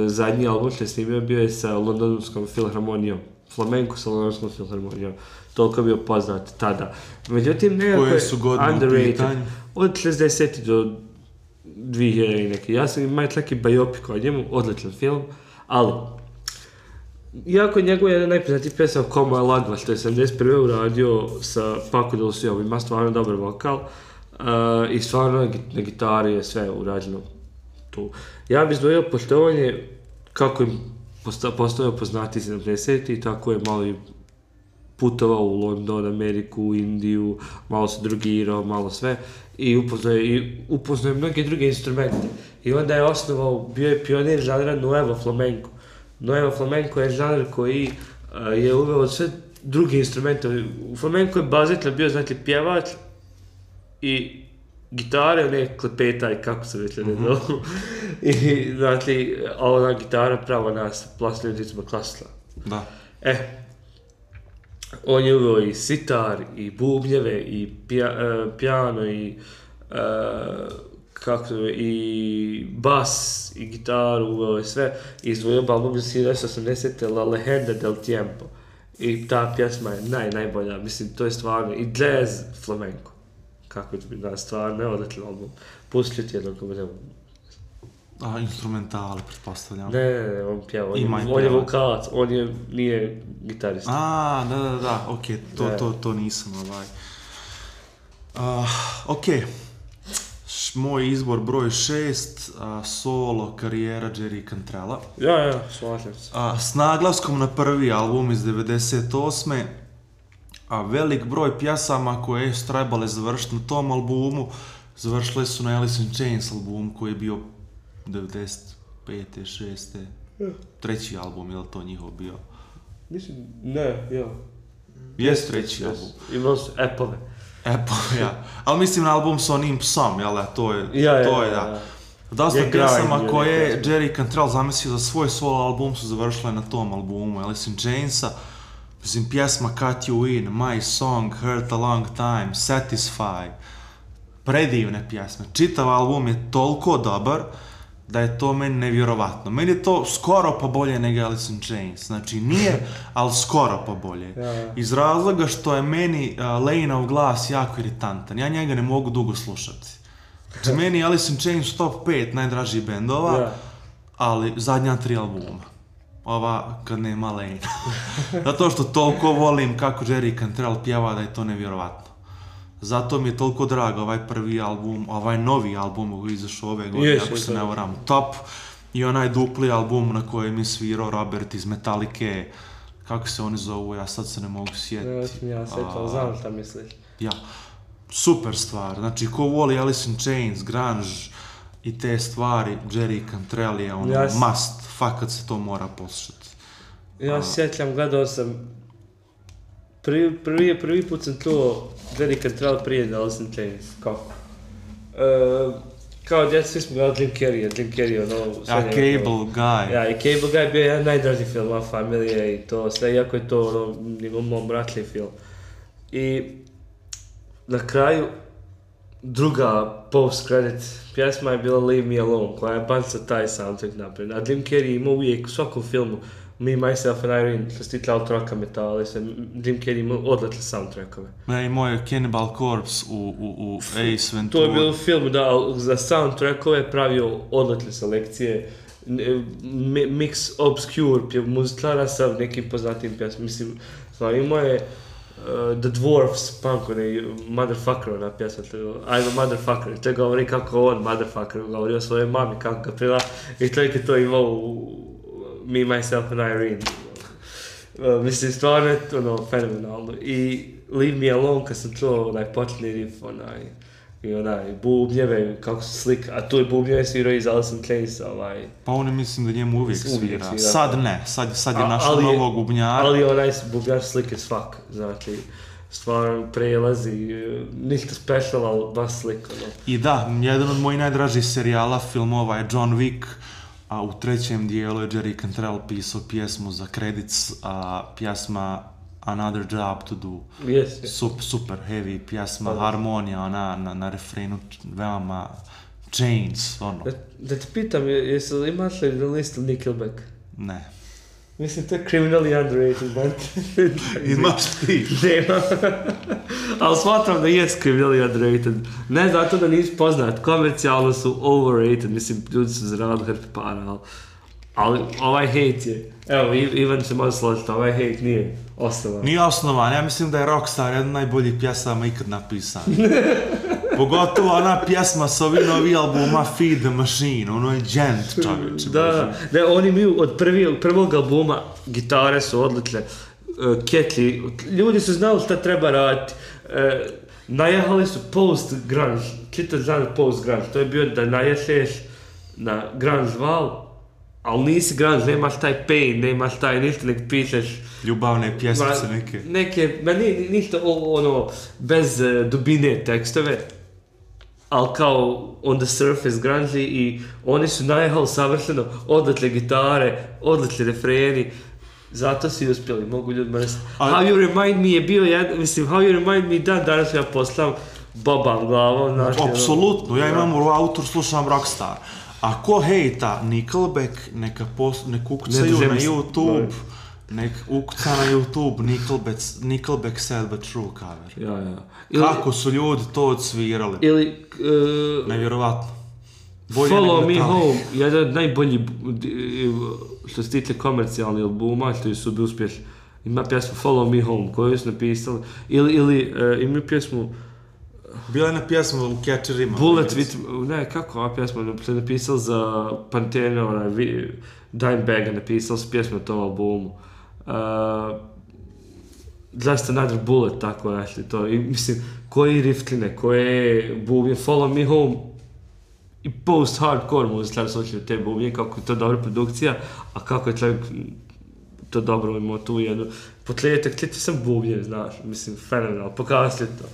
zadnji album što je snimio bio je sa Londonskom filharmonijom, flamenko sa Londonskom filharmonijom, toliko je bio poznat tada. Međutim, nekako je underrated, od 60. do 2000 i neki. Ja sam imao čak i biopik o njemu, odličan film, ali iako njegov jedan najpoznatiji pjesma Como je Lagva, što je 71. uradio sa Paco de Luciom, ima stvarno dobar vokal i stvarno na gitari je sve urađeno tu. Ja bih izdvojio poštovanje kako im postao poznati 70. i tako je malo i putovao u London, Ameriku, Indiju, malo se drugirao, malo sve i upoznao je mnoge druge instrumente. I onda je osnovao, bio je pionir žanra Nuevo Flamenco. Nuevo Flamenco je žanr koji je uveo sve druge instrumente. U flamenco je bazično bio, znači, pjevač i gitare, ne klepetaj, kako se već ne zovu. I, znači, ona gitara pravo nas plasnim ritma klasila. Da. On je uveo i sitar, i bubnjeve, i piano, i bas, i gitaru, uveo je sve. I izdvojio album iz 1980. La Legenda del Tiempo. I ta pjesma je najbolja, mislim, to je stvarno, i jazz flamenco. Kako će biti, stvarno, odličan album. Pustit jednom kako budemo. Instrumentale, pretpostavljam. Ne, on pjeva, on je vokalac, nije gitarista. Da, okej, to nisam Okej. Moj izbor broj 6, solo karijera Jerry Cantrella. Ja, slažem se. S naglaskom na prvi album iz 98. a velik broj pjesama koje su trebale završiti na tom albumu, završile su na Alice in Chains albumu koji je bio 95. 6. treći album, je li to njihov bio? Mislim, ne, ja. Jest treći album. Imao su Apple-e. Apple, ja. Ali mislim na album s onim psom, jel da, to je, da. Dosta Je pjesama grind, koje je je Jerry Cantrell zamislio za svoj solo album su završile na tom albumu, Alice in Chainsa. Mislim, pjesma Cut You In, My Song, Hurt a Long Time, Satisfy. Predivne pjesme. Čitav album je toliko dobar da je to meni nevjerovatno. Meni je to skoro pa bolje nego Alice in Chains. Znači nije, ali skoro pa bolje. Iz razloga što je meni Lane-ov glas jako iritantan. Ja njega ne mogu dugo slušati. Znači meni je Alice in Chains top 5 najdražih bendova, ali zadnja 3 albuma. Ova kad nema Lane. Zato što toliko volim kako Jerry Cantrell pjeva da je to nevjerovatno. Zato mi je toliko drago ovaj prvi album, ovaj novi album koji je izašao ove godine, ako se ne varam, top. I onaj dupli album na kojem je svirao Robert iz Metallica, kako se oni zovu, ja sad se ne mogu sjetiti. Ja sjećam, znam šta misliš. Ja, super stvar, znači ko voli Alice in Chains, grunge i te stvari, Jerry Cantrell je ono must, fakat se to mora poslušati. Ja sjećam, gledao sam, prvi put sam čuo Jerry Cantrell prije Alice in Chains, kako? Kao djeca, svi smo gledali Jim Carrey, ono... Cable Guy. Ja, i Cable Guy bio jedan najdraži film, Ma Familia i to sve, iako je to ono, njegov mom ratljiv film. I na kraju, druga post-credit pjesma je bila Leave Me Alone, koja je banca taj soundtrack naprijed. A Jim Carrey ima uvijek u svakom filmu Me, Myself and Irene, što se tiče autoraka metala, Jim Carrey ima odlične soundtrackove. Ja, imao je Cannibal Corpse u Ace Ventura. To je bilo film, da, za soundtrackove je pravio odlične selekcije, mix obscure muziklara sa nekim poznatim pjesmama. Mislim, imao je The Dwarfs, punk, onaj motherfucker, ona pjesma, I'm a motherfucker, to govori kako on motherfucker, govori o svojoj mami, kako ga prila, i čovjek je to imao u Me, Myself and Irene. Mislim, stvarno je ono, fenomenalno. I Leave Me Alone, kad sam čuo onaj početni riff, i onaj bubnjeve, kako se slika, a tu je bubnjeve svirao iz Alice in Chains, Pa on mislim da njemu uvijek svira. Sad ne, sad je našao novog bubnjara. Ali onaj bubnjar slike svak, znači, stvarno prelazi, ništa special, ali baš slika. I da, jedan od mojih najdražih serijala, filmova je John Wick, a u trećem dijelu je Jerry Cantrell pisao pjesmu za credits, a pjesma Another Job to Do. Super heavy pjesma, harmonija, ona na refrenu veoma Chains, ono. Da te pitam, imaš li na listu Nickelback? Ne. Mislim, to je criminally underrated band. Imaš ti? Nema. Ali smatram da je criminally underrated. Ne zato da nisi poznat, komercijalno su overrated, mislim, ljudi su zaradili hrpe para, ali ovaj hate je, evo, Ivan se može složiti, ovaj hate nije osnovan. Nije osnovan, ja mislim da je Rockstar jedan od najboljih pjesama ikad napisan. Pogotovo ona pjesma s ovim novi albuma Feed the Machine, ono je džent, čovječe. Da, oni imaju od prvog albuma, gitare su odlične, ketlji, ljudi su znali šta treba raditi, najahali su post-grunge, čitav žanr post-grunge, to je bio da naješeš na grunge val, ali nisi grunge, nemaš taj pain, nemaš taj ništa, nek pišeš ljubavne pjesmice neke. Neke, ništa ono, bez dubine tekstove, ali kao on the surface grunge i oni su najehali savršeno, odlične gitare, odlični refreni, zato si uspjeli, mogu ljudima reći. How You Remind Me je bio jedan, mislim, How You Remind Me danas ja poslam babam glavom, znaš. Apsolutno, ja imam u autor, slušam Rockstar. A ko hejta Nickelback, nek ukucaju na YouTube, nek ukuca na YouTube Nickelback Sad But True cover. Ja. Kako su ljudi to odsvirali? Ili... nevjerovatno. Follow Me Home, jedan od najboljih, što se tiče komercijalnih albuma, što su bi uspješni. Ima pjesmu Follow Me Home, koju su napisali, ili ima pjesmu... Bila je na pjesmu u Catcherima. Bullet with... Ne, kako ova pjesma se napisala za Pantera, Dimebag napisala su pjesmu na tom albumu. Just Another Bullet, tako našli to. I mislim, koji riftline, koje bubnje, Follow Me Home i post-hardcore muziklar slučaju te bubnje, kako je to dobra produkcija, a kako je čovjek to dobro imao tu jednu. Potlijetek, sam bubnje, znaš, mislim, fenomenal, pokazali to.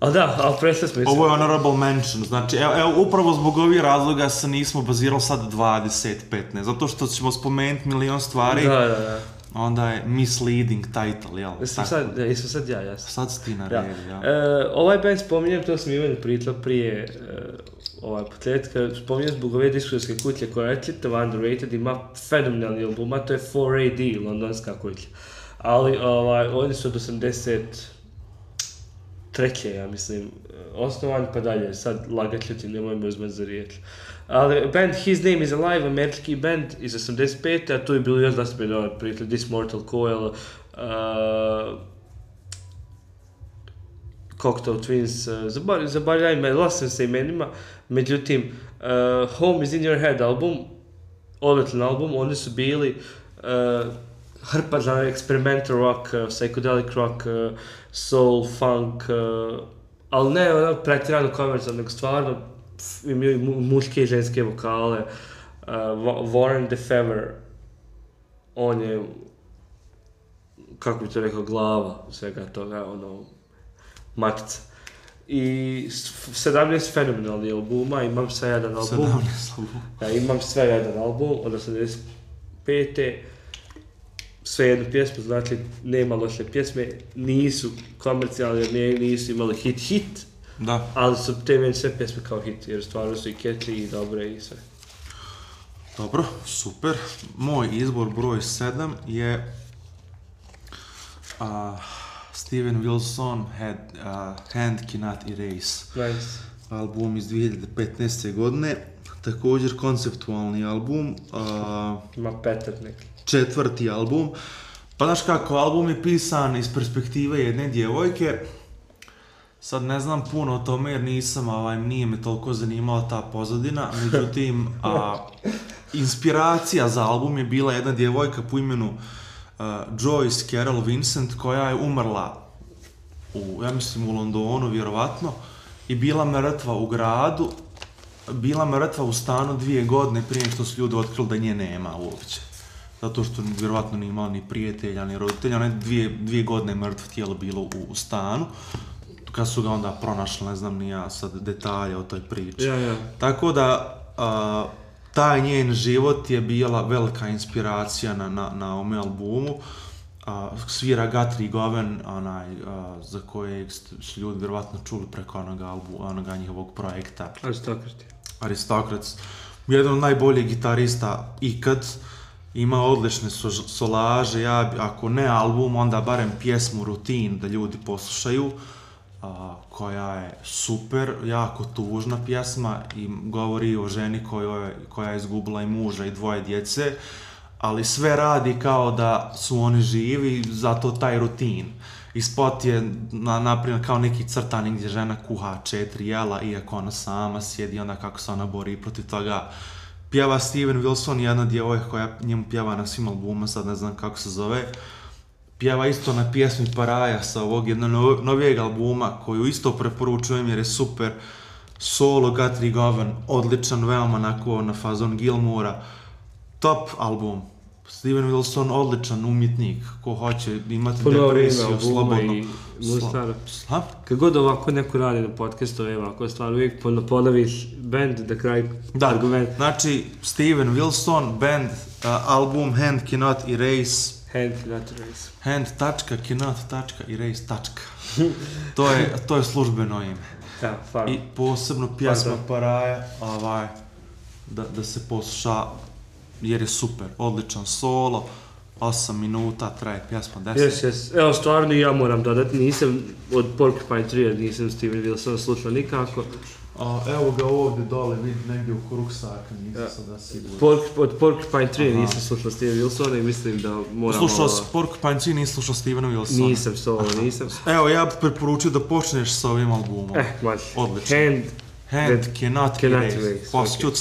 Ali da, ali presle smo... Ovo je honorable mention, znači, evo, upravo zbog ovih razloga se nismo bazirali sad 20-15, zato što ćemo spomenuti milion stvari, Da. onda je misleading title, jel? Jesam sad ja, jasno. Sad si ti na redu, ja. Ovaj band spominjem, to sam imao pričao prije potletka, spominjem zbog ove diskografske kuće koja je čitav underrated, ima fenomenalni album, a to je 4AD, londonska kuća. Ali oni su od 83. ja mislim, osnovan pa dalje, sad lagat ljuti, nemoj me uzmati za riječ. Ali band His Name Is Alive, američki band iz 85. a tu je bilo još da ste bili prijatelj This Mortal Coil, Cocktail Twins, zaboravljam me, lost se imenima, međutim, Home Is In Your Head album, odličan album, oni su bili hrpa za experimental rock, psychedelic rock, soul, funk, ali ne pretjerano komercijalno, nego stvarno imaju muške i ženske vokale. Warren DeFever, on je, kako bi to rekao, glava svega toga, matica. I 17 fenomenalnih albuma, imam sve jedan album. 17 albuma. Ja, imam sve jedan album od 85. Sve jednu pjesmu, znači nema loše pjesme, nisu komercijalne, nisu imali hit, Da. ali su te meni sve pjesme kao hit, jer stvarno su i catchy i dobre i sve. Dobro, super. Moj izbor broj 7 je Steven Wilson, Hand Cannot Erase. Nice. Album iz 2015. godine, također konceptualni album. Ima petar neki. 4. album. Pa znaš kako, album je pisan iz perspektive jedne djevojke. Sad ne znam puno o tome jer nije me toliko zanimala ta pozadina, međutim, inspiracija za album je bila jedna djevojka po imenu Joyce Carol Vincent, koja je umrla ja mislim u Londonu, vjerovatno, i bila mrtva u gradu, bila mrtva u stanu 2 godine prije što su ljudi otkrili da nje nema uopće. Zato što vjerovatno nije imala ni prijatelja, ni roditelja, ona je 2 godine mrtvo tijelo bilo u stanu. Kad su ga onda pronašli, ne znam ni ja sad detalje o toj priči. Ja. Tako da, taj njen život je bila velika inspiracija na ovome albumu. Svira Guthrie Govan, za kojeg su ljudi vjerovatno čuli preko onoga njihovog projekta. Aristocrats. Jedan od najboljih gitarista ikad. Ima odlične solaže, ako ne album, onda barem pjesmu Routine da ljudi poslušaju, koja je super, jako tužna pjesma i govori o ženi koja je izgubila i muža i 2 djece, ali sve radi kao da su oni živi, zato taj rutin. I spot je naprimjer kao neki crtani gdje žena kuha 4 jela, iako ona sama sjedi, onda kako se ona bori protiv toga. Pjeva Steven Wilson, jedna djevojka koja njemu pjeva na svim albuma, sad ne znam kako se zove. Pjeva isto na pjesmi Paraja sa ovog jednog novijeg albuma, koju isto preporučujem jer je super. Solo Guthrie Govan, odličan, veoma na fazon Gilmoura. Top album. Steven Wilson, odličan umjetnik, ko hoće imati depresiju, slobodno. Kad god ovako neko radi na podcastu, ako stvar uvijek ponoviš band da kraj argument. Znači, Steven Wilson, band, album Hand Cannot Erase. Hand.cannot.erase. To je službeno ime. I posebno pjesma Paraja, da se posluša, jer je super, odličan solo, 8 minuta, traje pjesma 10. Yes. Evo, stvarno ja moram dodati, nisam od Porcupine Tree, nisam Steven Wilson slušao nikako. Evo ga ovdje dole, vidi negdje u ruksaka, nisam sada siguran. Od Porcupine Tree nisam slušao Steven Wilsona i mislim da moram... Slušao si Porcupine Tree, nisam slušao Stevena Wilsona. Nisam. Evo, ja bih preporučio da počneš sa ovim albumom. Odlično. Hand Cannot Erase. Posjećut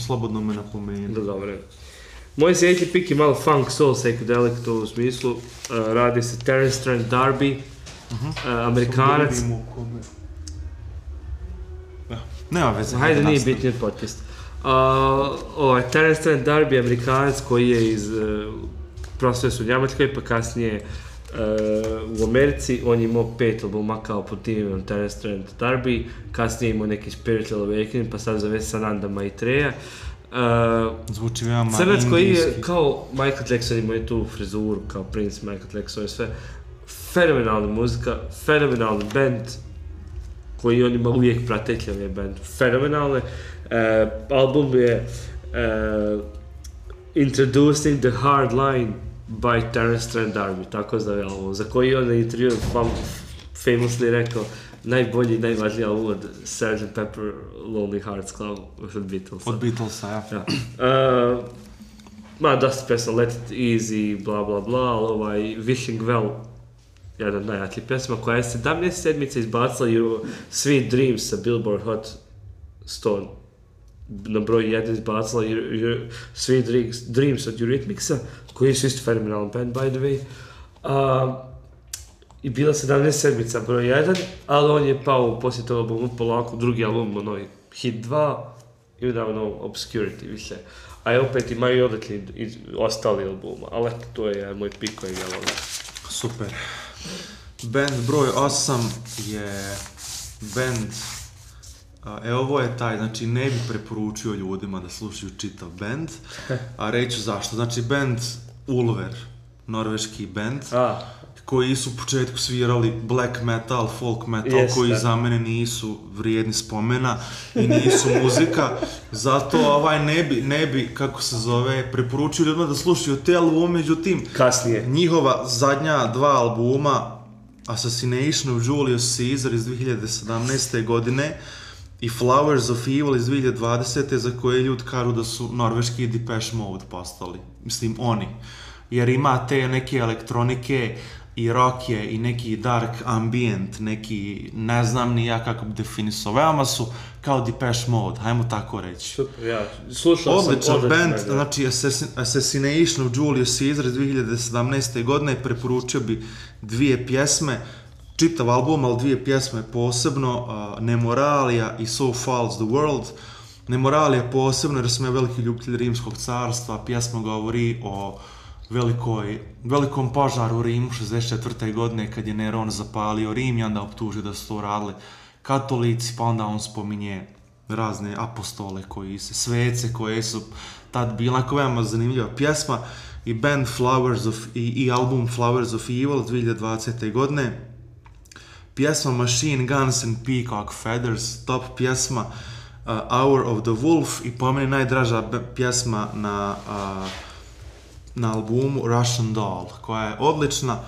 slobodno me napomenu. Dobro. Moj sljedeći pik je malo funk, soul, psychedelic, to u smislu. Radi se Terence Trent D'Arby, Amerikanac. Nema veze. Hajde, nije bitnije podcast. Terence Trent D'Arby, Amerikanac koji je iz profesor u Njemačkoj, pa kasnije u Americi. On je imao 5 albuma kao pod timom Terence Trent D'Arby, kasnije imao neki Spiritual Awakening, pa sad zove Sananda Maitreya. Zvuči veoma crnac koji je indijski. kao Michael Jackson, imao je tu frizuru kao Prince, Michael Jackson i sve. Fenomenalna muzika, fenomenalni band koji on ima uvijek prateći, on je band fenomenalne. Album je Introducing the Hard Line by Terence Trent D'Arby, tako zove album, za koji on na intervju famously rekao najbolji i najvažniji album od Sgt. Pepper Lonely Hearts Club od Beatlesa. Od Beatlesa, ja. Dosta pesma, Let It Easy, bla bla bla, ali Wishing Well, jedan od najjačih pesma koja je 17 sedmica izbacila Sweet Dreams sa Billboard Hot 100 na broj 1 izbacila Sweet Dreams od Eurythmicsa, koji su isto fenomenalan band, by the way. I bila 17 sedmica broj 1, ali on je pao poslije toga albumu polako, drugi album, onoj Hit 2, i udavno Obscurity više. A opet imaju i odlični ostali albuma, ali to je moj pik koji ja volim. Super. Band broj 8 je band, ovo je taj, znači ne bi preporučio ljudima da slušaju čitav band, a reću zašto. Znači band Ulver, norveški band, koji su u početku svirali black metal, folk metal, koji za mene nisu vrijedni spomena i nisu muzika, zato ne bi, kako se zove, preporučio ljudima da slušaju te albume, međutim, kasnije. Njihova zadnja 2 albuma, Assassination of Julius Caesar iz 2017. godine i Flowers of Evil iz 2020. za koje ljudi kažu da su norveški Depeche Mode postali, mislim oni, jer ima te neke elektronike i rock je i neki dark ambient, neki, ne znam ni ja kako bi definisao, veoma su kao Depeche Mode, hajmo tako reći. Super, ja slušao sam odličan band, znači Assassination of Julius Caesar iz 2017. godine, preporučio bi 2 pjesme, čitav album, ali 2 pjesme posebno, Nemoralia i So Falls the World. Nemoralia posebno jer sam ja veliki ljubitelj Rimskog carstva, pjesma govori o velikom požaru u Rimu 64. godine kad je Neron zapalio Rim i onda optužio da su to radili katolici, pa onda on spominje razne apostole svece koje su tad bili, onako veoma zanimljiva pjesma, i band i album Flowers of Evil 2020. godine. Pjesma Machine Guns and Peacock Feathers, top pjesma, Hour of the Wolf, i po meni najdraža pjesma na albumu Russian Doll, koja je odlična.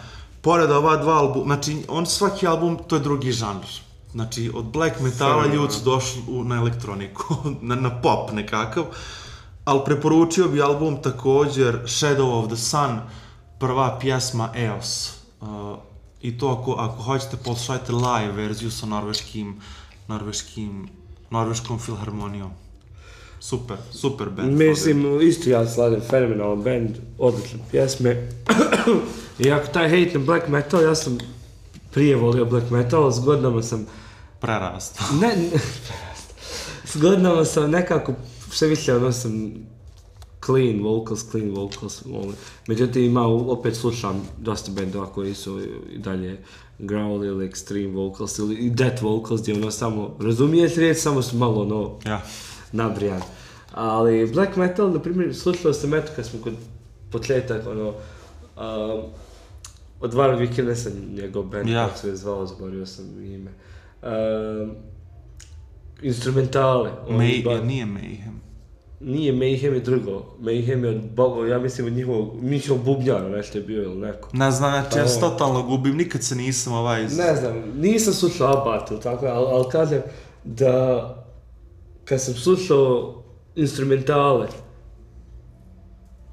Pored ova 2 albuma, znači svaki album to je drugi žanr. Znači od black metala ljudi su došli na elektroniku, na pop nekakav, ali preporučio bi album također Shadow of the Sun, prva pjesma Eos. I to ako hoćete poslušajte live verziju sa norveškom filharmonijom. Super band. Mislim, isto ja sladim, fenomenalan band, odlične pjesme. I ako taj hate na black metal, ja sam prije volio black metal, s godinama sam... Prerastao. S godinama sam nekako, sve više sam clean vocals, međutim opet slušam dosta bendova koji su i dalje growl ili extreme vocals ili death vocals, gdje samo razumiješ riječ, samo su malo nabrijan. Ali black metal, na primjer, slušao sam kad smo kod početak, od Varg Vikernes, njegov band, kako se je zvao, zaboravio sam ime. Instrumentale. Nije Mayhem. Nije, Mayhem je drugo. Mayhem je ja mislim od njihovog bubnjara nešto je bio ili neko. Ne znam, ja se totalno gubim, nikad se nisam Ne znam, nisam slušao Abbat ili tako, ali kažem da kad sam slušao instrumentale,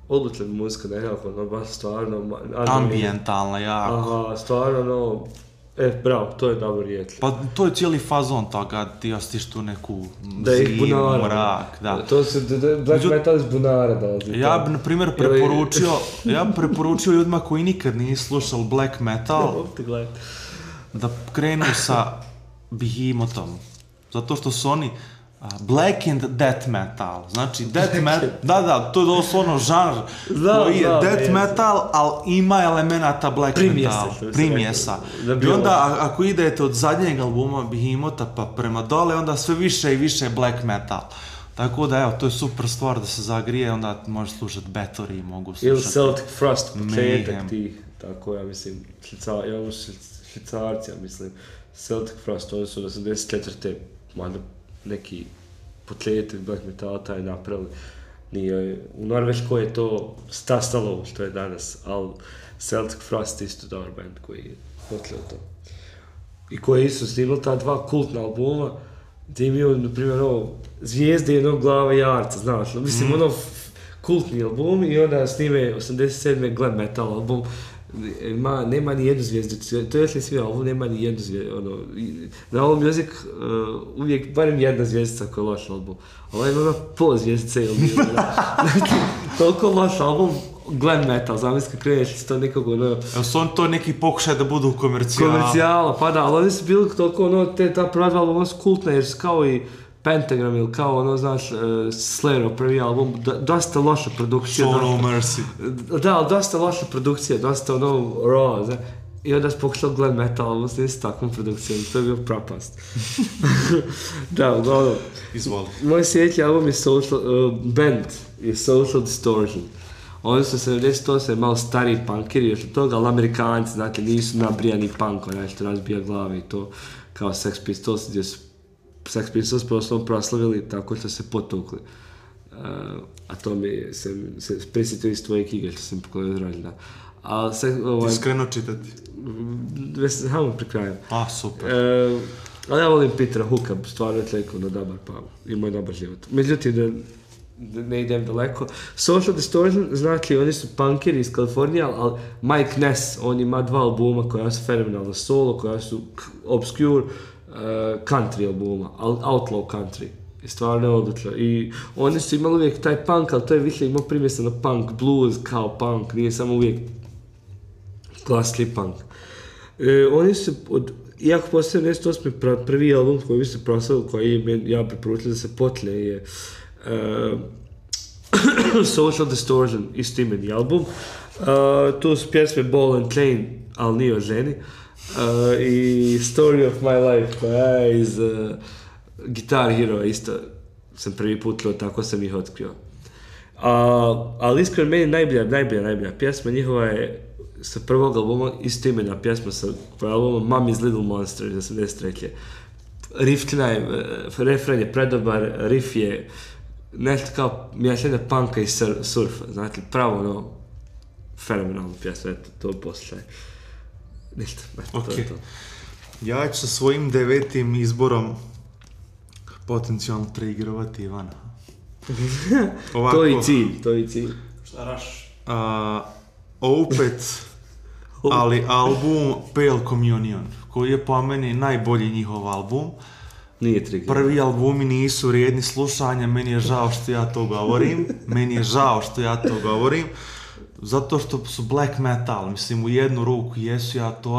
odlična muzika nekako, baš stvarno... Ambientalna, jako. Aha, stvarno, Bravo, to je dobro riječ. Pa to je cijeli fazon toga, ti ostiš tu neku Da je zimu, bunara. mrak, da. To se, black metal iz bunara dolazi. Ja bi, na primjer, preporučio ljudima koji nikad nisu slušali black metal da krenu sa Behemothom. Zato što su oni black and death metal. Znači, death metal, da, to je doslovno žanr koji je death metal, ali ima elemenata black metal. Primjesa. I onda, ako idete od zadnjeg albuma Behemotha pa prema dole, onda sve više i više black metal. Tako da, evo, to je super stvar da se zagrije, onda može slušati Bathory, mogu slušati ili Celtic Frost, početak Mayhem. tih, tako ja mislim, švicarci, ja mislim, Celtic Frost, oni su 84. mada neki početak black metala taj napravili. Nije, u Norveškoj je to stasalo što je danas, ali Celtic Frost je isto dobar band koji je potlio to. I koji je isto snimali ta dva kultna albuma, gdje imaju, na primjer, Zvijezde jednog glava jarca, znaš, mislim, kultni album i onda snime 87. glam metal album. Nema ni jednu zvijezdu, to je svi album, nema ni jednu zvijezdu, na ovom Music uvijek barem jedna zvijezdica koja je loš album, ali ima pol zvijezdice ili nije, znači, toliko loš album, glam metal, zamisli kad kreneš to nekog Evo su on to neki pokušaj da budu komercijala, pa da, ali oni su bili toliko ta prva dva albuma su kultne jer su kao i Pentagram ili kao znaš, Slayer, prvi album, dosta loša produkcija. Show No Mercy. Da, ali dosta loša produkcija, dosta raw, znaš. I onda su pokušali glam metal album s takvom produkcijom, to je bio propast. Da, uglavnom. Izvoli. Moj sljedeći album je band je Social Distortion. Oni su 78. malo stariji punkeri još od toga, ali Amerikanci, znate, nisu nabrijani punk, onaj što razbija glave i to, kao Sex Pistols, gdje su Sex Pistols proslavili tako što se potukli. A to mi se prisjetio iz tvoje knjige što sam pokojio rođena. Ti skrenuo čitati? Samo pri kraju. Super. Ali ja volim Petera Hooka, stvarno je tlekovno dobar, pa imao je dobar život. Međutim, da ne idem daleko. Social Distortion, znači oni su punkeri iz Kalifornije, ali Mike Ness, on ima dva albuma koja su fenomenalno solo, koja su obscure, country albuma, outlaw country. I stvarno je odlično. I oni su imali uvijek taj punk, ali to je više imao primjesano punk, blues kao punk, nije samo uvijek klasični punk. Oni su, iako postoje 78. prvi album koji bi se proslavili, koji ja preporučio da se potlje, je Social Distortion, istoimeni album. Tu su pjesme Ball and Chain, ali nije o ženi. I Story of My Life, koja je iz Guitar Hero, isto sam prvi put čuo, tako sam ih otkrio. Ali iskreno meni najbolja pjesma njihova je sa prvog albuma, istoimena pjesma sa albuma Mommy's Little Monster iz 83. Riff refren je predobar, riff je nešto kao miješanje punka i surfa, znači pravo fenomenalno pjesma, eto, to poslušaj. Ništa, eto, to je to. Ja ću sa svojim 9. izborom potencijalno triggerovati Ivana. Ovako, to je cilj. Šta raš? Opet, ali album Pale Communion, koji je po meni najbolji njihov album. Nije trigger. Prvi albumi nisu vrijedni slušanja, meni je žao što ja to govorim. Zato što su black metal, mislim, u jednu ruku jesu, ja to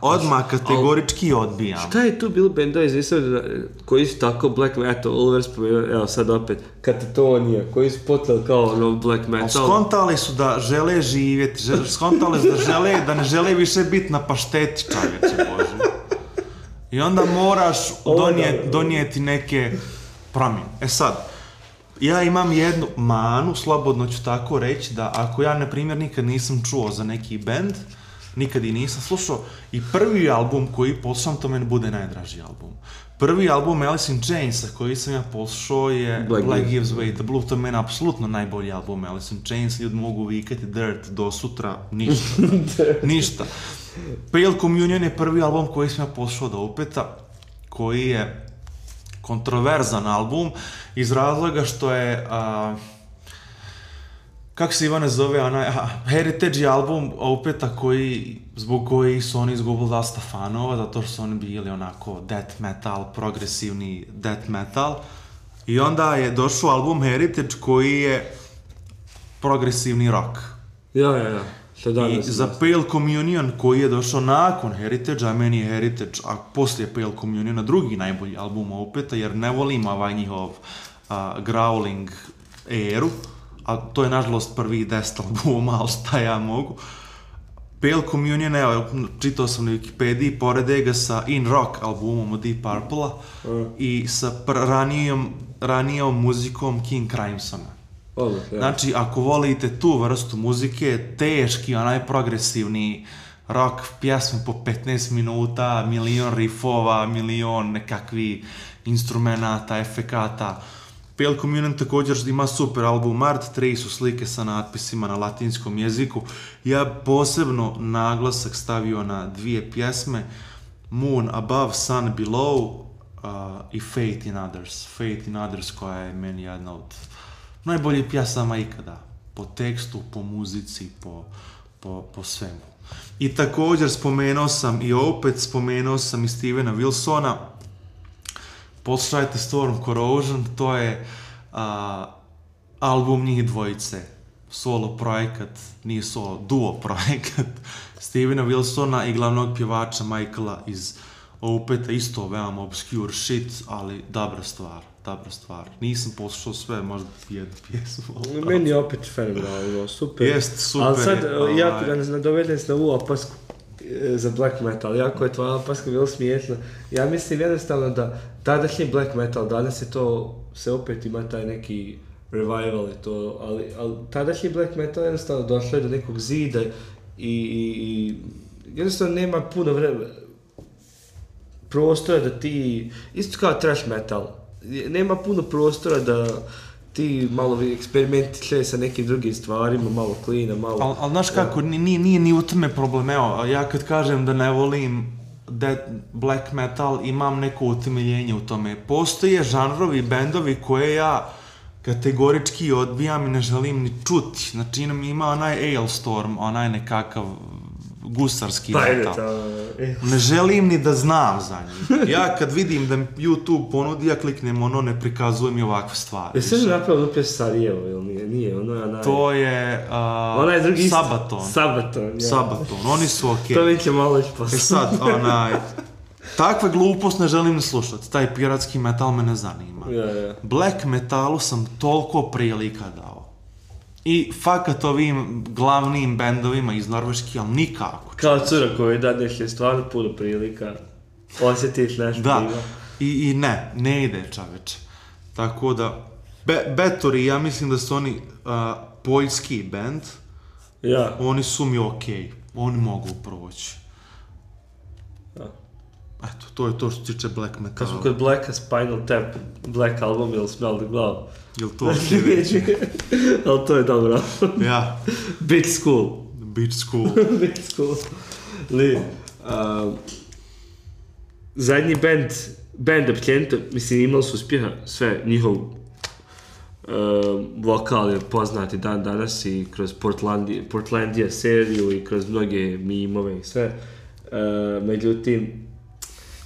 odmah kategorički odbijam. Šta je tu bilo bendova izvisao koji su tako black metal, Oliver spomenuo, evo sad opet, Katatonija, koji su potali kao black metal. Skontali su da žele živjeti, skontali su da ne žele više biti na pašteti, čovječe Bože. I onda moraš donijeti neke promjene. E sad, ja imam jednu manu, slobodno ću tako reći, da ako ja, na primjer, nikad nisam čuo za neki band, nikad i nisam slušao, i prvi album koji poslušam, to meni bude najdraži album. Prvi album Alice in Chainsa koji sam ja poslušao je Black Gives Way the Blue, to je meni apsolutno najbolji album Alice in Chains, ljudi mogu vikati Dirt do sutra, ništa. Pale Communion je prvi album koji sam ja poslušao do Opeta, koji je kontroverzan album iz razloga što je kako se Ivane zove, Heritage je album Opeta zbog koji su oni izgubili dosta fanova, zato što su oni bili onako death metal, progresivni death metal. I onda je došao album Heritage koji je progresivni rock. Ja. I za Pale Communion koji je došao nakon Heritage, a meni je Heritage, a poslije Pale Communiona drugi najbolji album Opeta, jer ne volim ovaj njihov growling eru, a to je nažalost prvi 10 albuma, ali šta ja mogu. Pale Communion, evo, čitao sam na Wikipediji, porede ga sa In Rock albumom od Deep Purple-a i sa ranijom muzikom King Crimsona. Znači, ako volite tu vrstu muzike, teški, onaj progresivni rock, pjesme po 15 minuta, milion riffova, milion nekakvi instrumenata, efekata. Pale Communion također ima super album Art, 3 su slike sa natpisima na latinskom jeziku. Ja posebno naglasak stavio na 2 pjesme, Moon Above, Sun Below i Fate in Others. Fate in Others koja je meni jedna od najboljih pjesama ikada. Po tekstu, po muzici, po svemu. I također spomenuo sam i Stevena Wilsona. Poslušajte Storm Corrosion, to je album njih dvojice. Solo projekat, nije solo, duo projekat Stevena Wilsona i glavnog pjevača Michaela iz Opeta, isto veoma obscure shit, ali dobra stvar. Nisam poslušao sve, možda jednu pjesmu. Meni je opet fenomenalno, super. Jest, super. Ali sad, jako ga nadovedem se na ovu opasku za black metal, jako je tvoja opaska bilo smijetna. Ja mislim jednostavno da tadašnji black metal, danas je to, se opet ima taj neki revival i to, ali tadašnji black metal jednostavno došlo je do nekog zida i jednostavno nema puno prostora da ti, isto kao thrash metal, nema puno prostora da ti malo eksperimentiše sa nekim drugim stvarima, malo klina, malo... Ali znaš kako, nije ni u tome problem, evo, ja kad kažem da ne volim black metal, imam neko utemeljenje u tome. Postoje žanrovi, bendovi koje ja kategorički odbijam i ne želim ni čuti. Znači ima onaj Ailstorm, onaj nekakav gusarski metal. Ne želim ni da znam za njih. Ja kad vidim da mi YouTube ponudi, ja kliknem ne prikazuje mi ovakve stvari. Jesi li napravio pjes Sarajevo ili nije? To je Sabaton. Sabaton, oni su okej. To mi će malo ići posle. Sad, takve glupost ne želim ni slušati. Taj piratski metal me ne zanima. Black metalu sam toliko prilika dao. I fakat ovim glavnim bendovima iz Norveške, ali nikako. Kao cura koji dadneš je stvarno puno prilika. Osjetiš nešto ima. I ne ide čoveče. Tako da, Betori, ja mislim da su oni poljski bend. Ja. Oni su mi okej. Oni mogu proći. Eto, to je to što tiče black metala. Kad smo kod Blacka, Spinal Tap, Black album ili Smell the Glove. Jel to sljedeći? Ali to je dobro. Ja. Beach School. Beach School. Zadnji band općenito, mislim, imali su uspjeha, sve, njihov vokal je poznati dan danas i kroz Portlandia seriju i kroz mnoge mimove i sve. Međutim,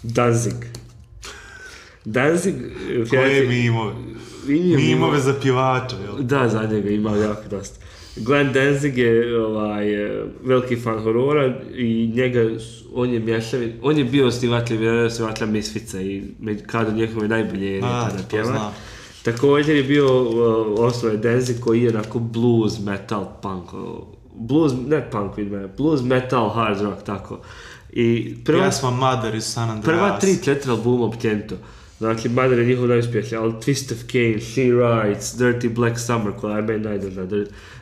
Danzig. Koje mimove? Mimove za pjevača, jel? Da, za njega ima jako dosta. Glenn Danzig je veliki fan horora i on je bio osnivača Misfica i kada njegove najbolje je tada pjeva. Također je bio osnovan Danzig koji je onako blues, metal, punk, blues, metal, hard rock, tako. Pjesma Mother iz San Andreas. Prva 3-4 albuma općenito. Znači, Mother je njihov najuspješniji, ali Twist of Cain, She Writes, Dirty Black Summer, koja je meni najdrža.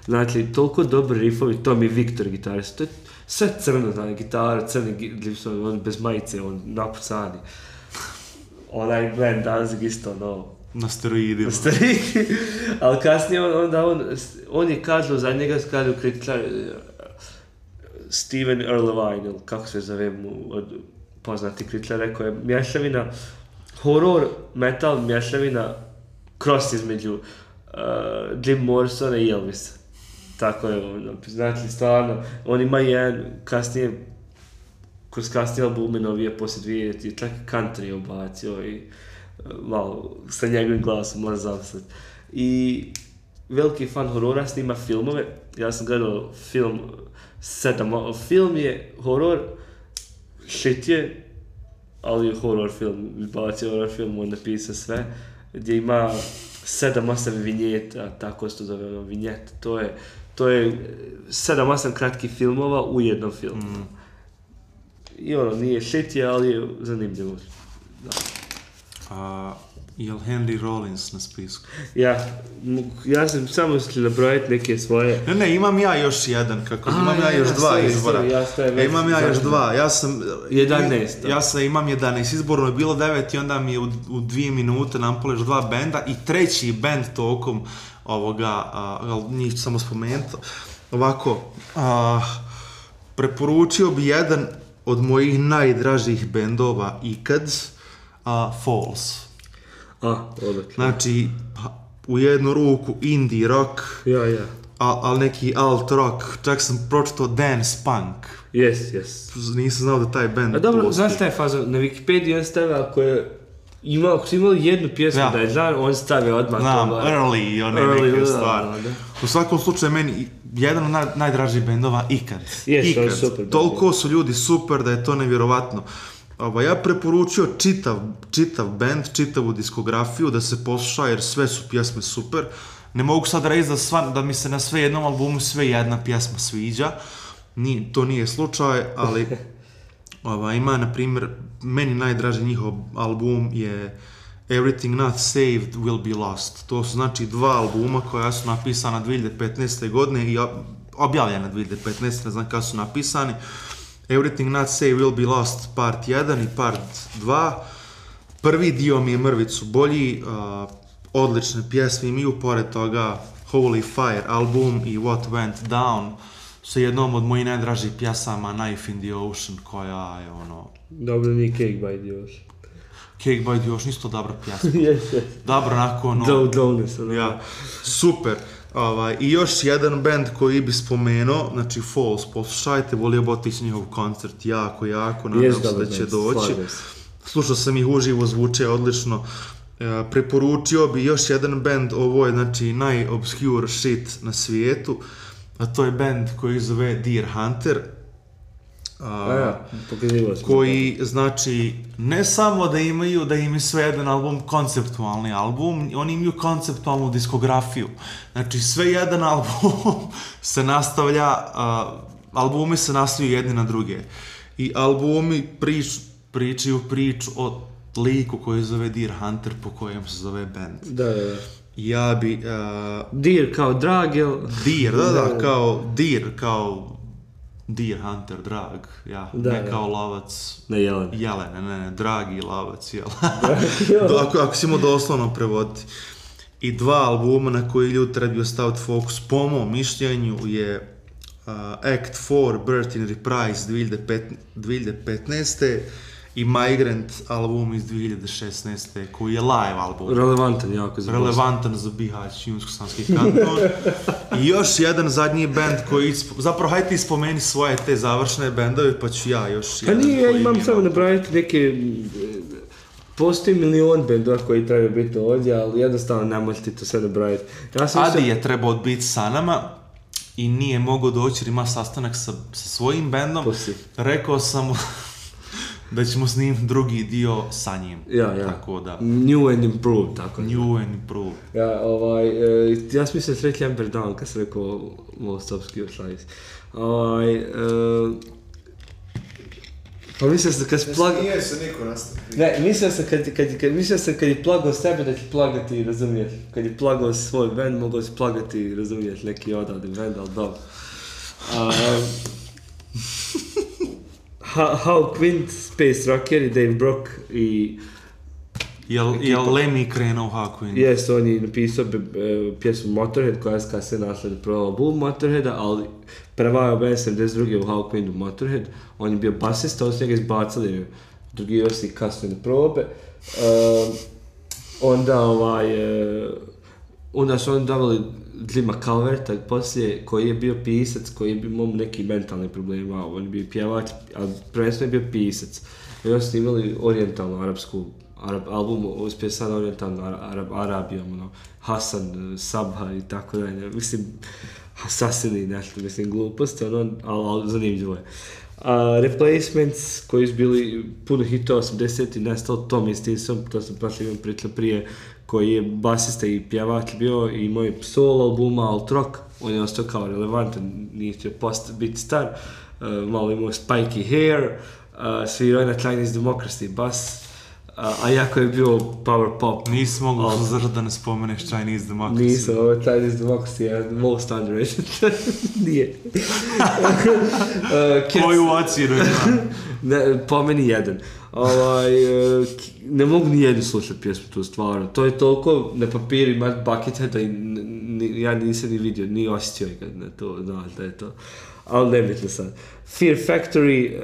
Znači, toliko dobri riffovi, Tommy Victor gitarist, to je sve crno, znači, gitara, crni gipsovi, on bez majice, on napucani. Onaj Glenn Danzig isto, na steroidima. Ali kasnije on je kažu za njega, kažu kritičar, Steven Erlewine, kako se zove mu poznati kritičar, rekao je mješavina horror, metal, mješavina cross između Jim Morrisona i Elvisa. Tako je, ono, znači stvarno, on ima jedan kasnije, kroz kasnije albume novije poslije 2000, čak i country ubacio i malo sa njegovim glasom moram zapisati. I veliki fan horora, snima filmove. Ja sam gledao film film je horor, shit je, ali je horor film, bacio horor film, on napisao sve, gdje ima 7-8 vinjeta, tako se to zove, ono, vinjet, to je 7-8 kratkih filmova u jednom filmu. I ono, nije shit je, ali je zanimljivo. Da. Jel Henry Rollins na spisku? Ja sam samo htio nabrojati neke svoje... Ne, imam ja još jedan, imam ja još dva izbora. Imam ja još dva, ja sam... 11. Imam 11, izborno je bilo 9 i onda mi je u 2 minute nampoleš 2 benda i treći bend tokom ovoga, njih ću samo spomenuti. Ovako, preporučio bi jedan od mojih najdražih bendova ikad, Falls. Odlično. Znači, u jednu ruku indie rock, ali neki alt rock, čak sam pročitao dance punk. Yes. Nisam znao da taj band A dobro, postoji. znaš taj faza, na Wikipediji on stavio ako su imali jednu pjesmu da je znam, on stavio odmah znam, to. early i one neke stvari. U svakom slučaju, meni jedan od najdražih bendova ikad. Yes, on super. Toliko su ljudi super da je to nevjerovatno. Ja preporučio čitav band, čitavu diskografiju da se posluša jer sve su pjesme super. Ne mogu sad reći da mi se na sve jednom albumu sve jedna pjesma sviđa. To nije slučaj, ali ima, na primjer, meni najdraži njihov album je Everything Not Saved Will Be Lost. To su znači 2 albuma koja su napisana 2015. godine i objavljena 2015. ne znam kada su napisani. Everything Not Saved Will Be Lost part 1 i part 2. Prvi dio mi je mrvicu bolji, odlične pjesme imaju, pored toga Holy Fire album i What Went Down sa jednom od mojih najdražih pjesama, Knife in the Ocean, koja je ono... Dobro, nije Cake by the Ocean. Cake by the Ocean, isto dobra pjesma. Yes. Dobro, onako ono... Ja, super. I još jedan band koji bi spomenuo, znači Falls, poslušajte, volio bi otići njihov koncert, jako, nadam se da će doći. Slušao sam ih uživo, zvuče odlično. Preporučio bi još jedan band, ovo je znači najobscure shit na svijetu, a to je band koji zove Deer Hunter. Koji znači ne samo da im je sve jedan album konceptualni album, oni imaju konceptualnu diskografiju. Znači sve jedan album se nastavlja, albumi se nastavljaju jedni na druge. I albumi pričaju priču o liku koji zove Deer Hunter, po kojem se zove band. Da. Ja bi... Deer kao drag, jel? Deer, kao Deer, kao... Deer Hunter, drag, ne kao lovac, ne jelen. Ne, dragi lovac, ako si mu doslovno prevoditi. I 2 albuma na koji ljudi trebaju staviti fokus, po mom mišljenju, je Act 4, Birth in Reprise 2015. i Migrant album iz 2016. koji je live album. Relevantan za Bihać, Junsko-Sanski kanton. I još jedan zadnji band koji... Zapravo, hajde ti spomeni svoje te završne bendove, pa ću ja još jedan. Pa nije, ja imam samo napraviti neke... Postoji milion bendova koji trebaju biti ovdje, ali jednostavno ne možete to sve napraviti. Adi je trebao biti sa nama i nije mogao doći jer ima sastanak sa svojim bendom. Rekao sam mu... da ćemo snimiti drugi dio sa njim. Tako da. New and improved, tako. New and improved. Ja sam mislio sreći Amber Down kad sam rekao Most Obscure Slice. Pa mislio sam kad plagao... Nije se niko nastavio. Ne, mislio sam kad je plagao sebe da će plagati, razumiješ. Kad je plagao svoj band, mogao si plagati, razumiješ, neki odavde band, ali dobro. How Quint, Space Rocker i Dave Brock i... Jel Lemmy krenuo How Quint? Jes, on je napisao pjesmu Motorhead koja je kasnije našla na prvom albumu Motorheada, ali prevajao band 72. u How Quint u Motorhead. On je bio basista, on su njega izbacili drugi još i kasnije na probe. Onda onda su oni davali Glima Calverta poslije, koji je bio pisac, koji je imao neki mentalni problema, on je bio pjevač, ali prvenstveno je bio pisac. I oni su imali orijentalnu arapsku album, uspije sad orijentalnu Arabijom, Hasan, Sabha i tako dalje. Mislim, Assassini, nešto, mislim, gluposti, ali zanimljivo je. Replacements, koji su bili puno hitova 80-ih, nestao Tommy Stinson, to sam prošli imam pričao prije, koji je basista i pjevač bio i imao je solo albuma, alt rock, on je ostao kao relevantan, nije htio biti star, malo imao spiky hair, svirao je na Chinese Democracy bas, a jako je bio power pop. Nisi mogu suzdržati da ne spomeneš Chinese Democracy. Nisam, ovo je Chinese Democracy je most underrated. Nije. Koju ocjenu ima? Po meni jedan. Ne mogu ni jednu slušati pjesmu tu stvarno. To je toliko na papiru ima Buckethead da ja nisam ni vidio, ni osjetio ga na to, znaš da je to. Ali nebitno sad. Fear Factory,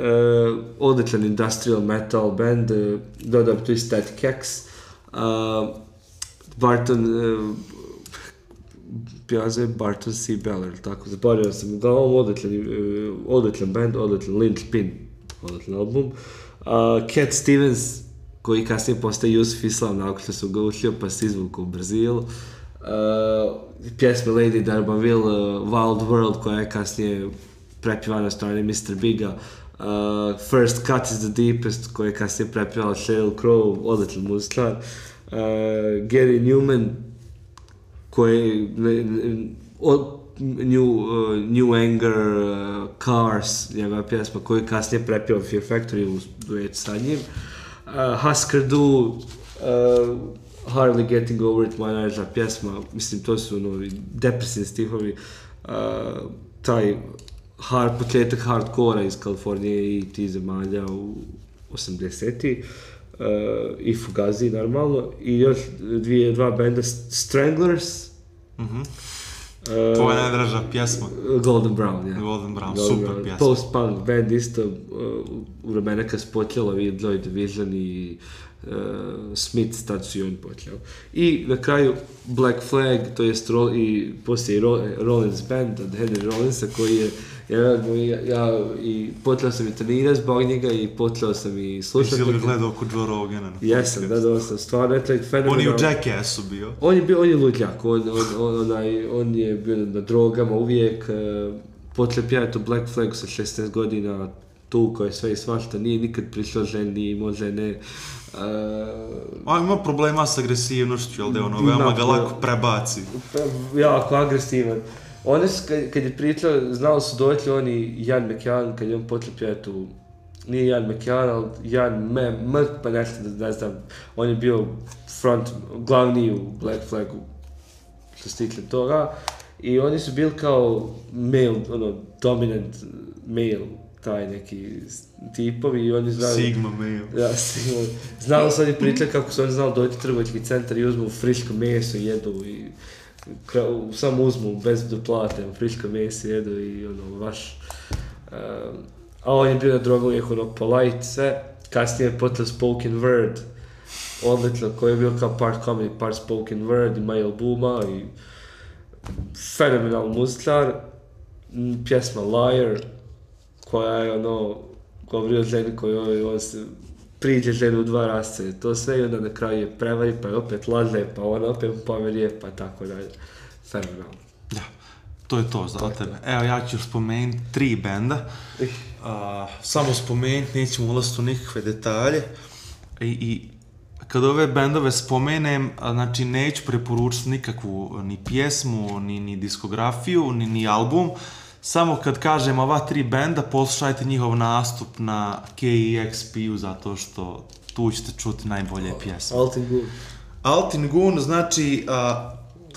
odličan industrial metal band, dodao tu i Static X, Barton, pjazuje Barton C. Beller, tako, zaboravio sam, uglavnom odličan band, odličan Linchpin, odličan album. Cat Stevens, koji kasnije postaje Yusuf Islam, nakon što su ga učio, pa se izvukao u Brazilu. Pjesme Lady D'Urbanville, Wild World, koja je kasnije prepjevana od strane Mr. Biga, First Cut is the Deepest, koja je kasnije prepjevala Sheryl Crow, odličan muzičar, Gary Newman, koji New Anger, Cars, njegova pjesma, koju je kasnije prepjevao Fear Factory u duetu sa njim, Husker Du, Hardly Getting Over It, moja najdraža pjesma, mislim to su depresivni stihovi, taj početak hardcora iz Kalifornije i tih zemalja u 80-ih, i Fugazi normalno, i još dva benda, Stranglers, tvoja najdraža pjesma? Golden Brown, ja. Golden Brown, super pjesma. Post-punk band isto, u vremena kad se počelo Joy Division i Smith, tad su i oni počeli. I na kraju Black Flag, to jest i poslije Rollins band od Henry Rollinsa, koji je i počeo sam i trenirati zbog njega i počeo sam i slušati. Jesi li gledao kod Joe Rogana? Jesam, da sam stvarno fenomenalno. On je u Jackassu bio. On je luđak, on je bio na drogama uvijek, počeo pjevati u Black Flagu sa 16 godina, tukao je sve i svašta, nije nikad prišao ženi, imao žene. Ima problema s agresivnošću, jel da je veoma ga lako prebaci. Jako agresivan. Oni su, kad je pričao, znali su doći oni Ian McKellen, kad je on počeo pjevati nije Ian McKellen, ali Ian pa nešto, ne znam, on je bio glavni u Black Flagu, što se tiče toga, i oni su bili kao male, dominant male, taj neki tipovi i oni znali... Sigma male. Ja, Sigma. Znali su oni pričali kako su oni znali doći u trgovački centar i uzmu friško meso i jedu i samo uzmu bez da plate, friško meso jedu i baš... A on je bio na drogu uvijek polite sve, kasnije je počeo spoken word, odlično, koji je bio kao part comedy, part spoken word, ima i albuma i fenomenal muzičar, pjesma Liar, koja je govori o ženi koju on se priđe ženu u dva rasce, to sve i onda na kraju je prevari, pa je opet laže, pa ona opet poverije, pa tako dalje. Fenomenalno. Da, to je to za tebe. Evo, ja ću spomenuti 3 benda. Samo spomenuti, nećemo ulaziti u nikakve detalje. I kad ove bendove spomenem, znači neću preporučiti nikakvu ni pjesmu, ni diskografiju, ni album. Samo kad kažem ova 3 benda, poslušajte njihov nastup na KEXP-u, zato što tu ćete čuti najbolje pjesme. Altin Gun, znači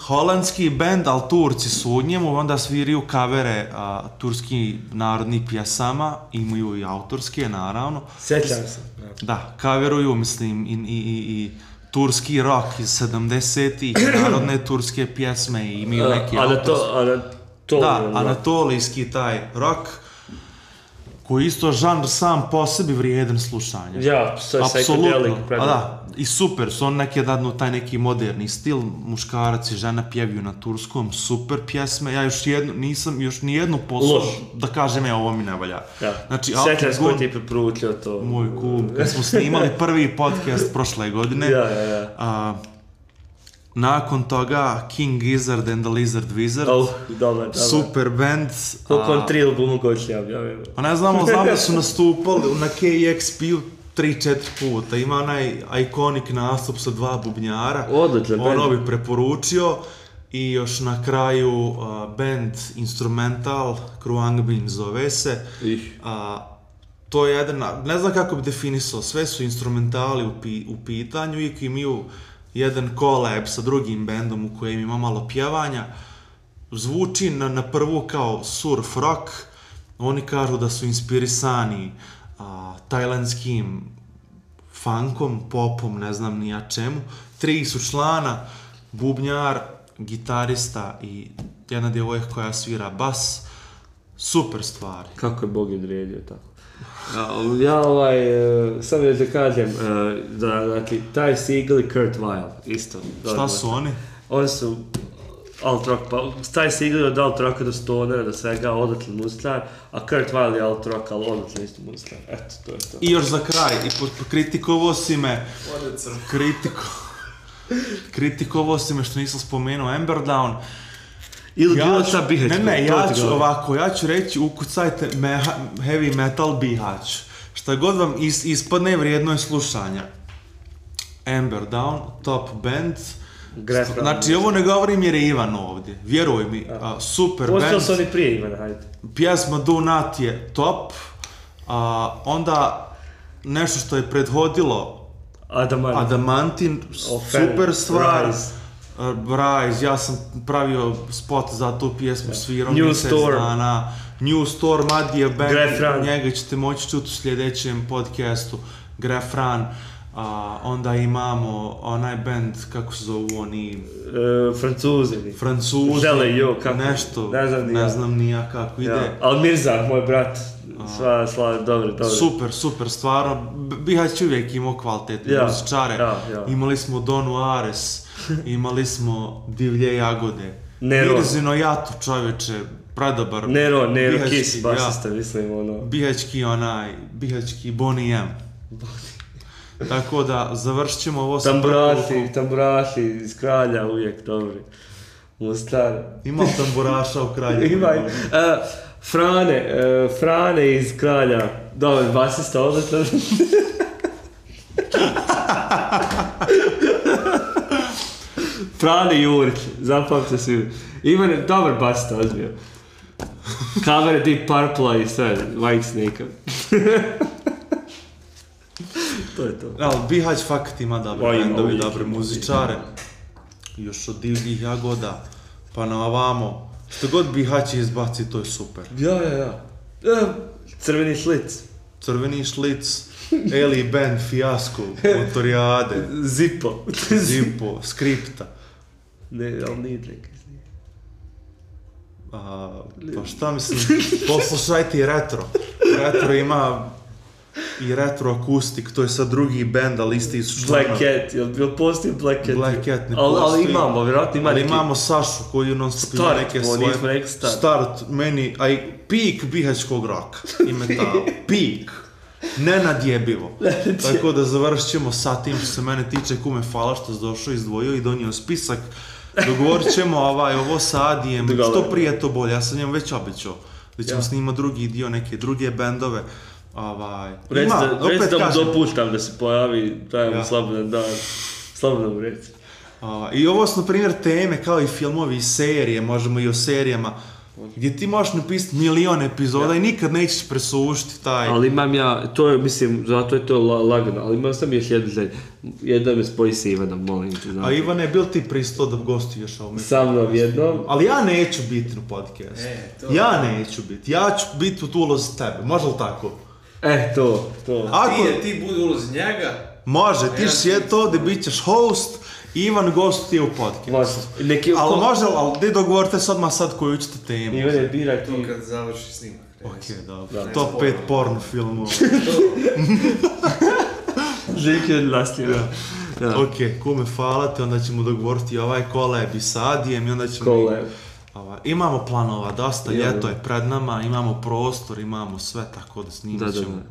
holandski bend, ali Turci su u njemu, onda sviraju kavere turskih narodnih pjesama, imaju i autorske, naravno. Sjećam se. Da, kaveruju, mislim, i turski rock iz 70-ih, narodne turske pjesme i imaju neki autorske. Da, anatolijski taj rock. koji isto žanr sam po sebi vrijedan slušanja. Ja, psychedelic. Da, i super su, on neki dadnu taj neki moderni stil, muškarac i žena pjevaju na turskom, super pjesme, ja nisam još nijednu poslušao da kažem ovo mi ne valja. Ja. Znači, Sjećam se koji ti preporučio to. Moj kum, kad smo snimali prvi podcast prošle godine, nakon toga King Gizzard and the Lizard Wizard, dobar. Super band. Koliko on 3 albuma koji će javljavaju? Pa ne znam da su nastupali na KEXP-u 3-4 puta. Ima onaj ikonik nastup sa 2 bubnjara. Odličan band. Ono bi preporučio. I još na kraju band Instrumental, Kruangbin zove se. To je jedan, ne znam kako bi definisao, sve su instrumentali u pitanju i imaju jedan collab sa drugim bandom u kojem ima malo pjevanja. Zvuči na prvu kao surf rock. Oni kažu da su inspirisani tajlandskim funkom, popom, ne znam ni ja čemu. 3 su člana, bubnjar, gitarista i jedna djevojka koja svira bas. Super stvari. Kako je Bog odredio tako. Ja samo da kažem, dakle, Ty Segall i Kurt Weill, isto. Šta su oni? Oni su alt rock, pa Ty Segall je od alt rocka do stonera, do svega, odličan muzičar, a Kurt Weill je alt rock, ali odličan isto muzičar. Eto, to je to. I još za kraj, kritikovao si me, kritikovao si me što nisam spomenuo Emberdown. Ili bilo šta Bihać? Ja ću reći ukucajte heavy metal Bihać. Šta god vam ispadne vrijedno je slušanja. Emberdown, top band. Znači ovo ne govorim jer je Ivan ovdje. Vjeruj mi, super band. Postao su oni prije Ivana, hajde. Pjesma Do Not je top. Onda nešto što je prethodilo Adamantin, super stvar. Rise, ja sam pravio spot za tu pjesmu, svirao mjesec dana. New Storm, Adijev band, njega ćete moći čuti u sljedećem podcastu, Grefran. Onda imamo onaj band, kako se zovu oni... Francuzi, nešto, ne znam ni ja kako ide. Ali Mirza, moj brat, sva, dobro. Super, stvarno, Bihać uvijek imao kvalitetne muzičare. Imali smo Donu Ares, imali smo Divlje jagode. Mirzino Jato, čovječe, predobar. Nero, Kiss, basista, mislim, ono. Bihaćki Bonnie M. Tako da, završit ćemo ovo sa tamburaši iz Kralja, uvijek dobri. Mostar. Ima li tamburaša u Kralju? Ima. Frane iz Kralja, dobar basista, odlično. Frane Jurić, zapamte svi. Ivan je dobar basista, ozbiljno. Cover Deep Purple i sve, Whitesnake. To je to. Ali Bihać fakat ima dobre bendovi, dobre muzičare. Još od Divljih jagoda, pa na ovamo. Što god Bihać izbaci, to je super. Ja. Crveni šlic. Eli Band, Fijasko, Motorijade. Zippo, Skripta. Ne, ali nije neki. Pa šta mislim, poslušajte i Retro. Retro ima i Retro Akustik, to je sad drugi band, ali isti su članovi. Black Cat, jel postoji Black Cat? Black Cat ne postoji. Ali imamo, vjerojatno ima neki... Ali imamo Sašu koji non stop ima neke svoje... Start, meni, peak bihaćkog roka i metala. Peak. Nenadjebivo. Tako da završit ćemo sa tim što se mene tiče, kume, hvala što si došao, izdvojio i donio spisak. Dogovorit ćemo ovo sa Adijem, što prije to bolje, ja sam njemu već obećao da ćemo snimati drugi dio, neke druge bendove. Reci da mu dopuštam da se pojavi, dajemo slobodan dan, slobodno reci. I ovo su na primjer teme kao i filmovi i serije, možemo i o serijama, gdje ti možeš napisati milion epizoda i nikad nećeš presušiti taj... Ali imam ja, to je, mislim, zato je to lagano, ali imam sam još jednu želju. Jednom me spoji se Ivanom, molim te. A Ivane, bil ti pristo da gostuješ ovome? Sa mnom jednom. Ali ja neću biti na podcastu. Ja neću biti, ja ću biti u ulozi tebe, može li tako? To. Ti budi ulozi njega. Može, ti ćeš sjeti ovdje, bit ćeš host Ivan gostuje u podcastu. Može. Neki... Ali može, ali di dogovorite se odmah sad koju ćete temu? Ivane, biraj To ti. kad završi snimak. Ok, dobro. Da. Top 5 porno filmova. Željki od Laslija. Da. Ok, kume, hvala te, onda ćemo dogovoriti ovaj koleb i s Adijem i onda ćemo... Koleb. Imamo planova, dosta, Ja, ljeto da. je pred nama, imamo prostor, imamo sve, tako da snimat ćemo. Da.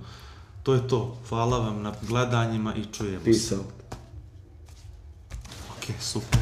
To je to, hvala vam na gledanjima i čujemo se. Peace out. Ok, super.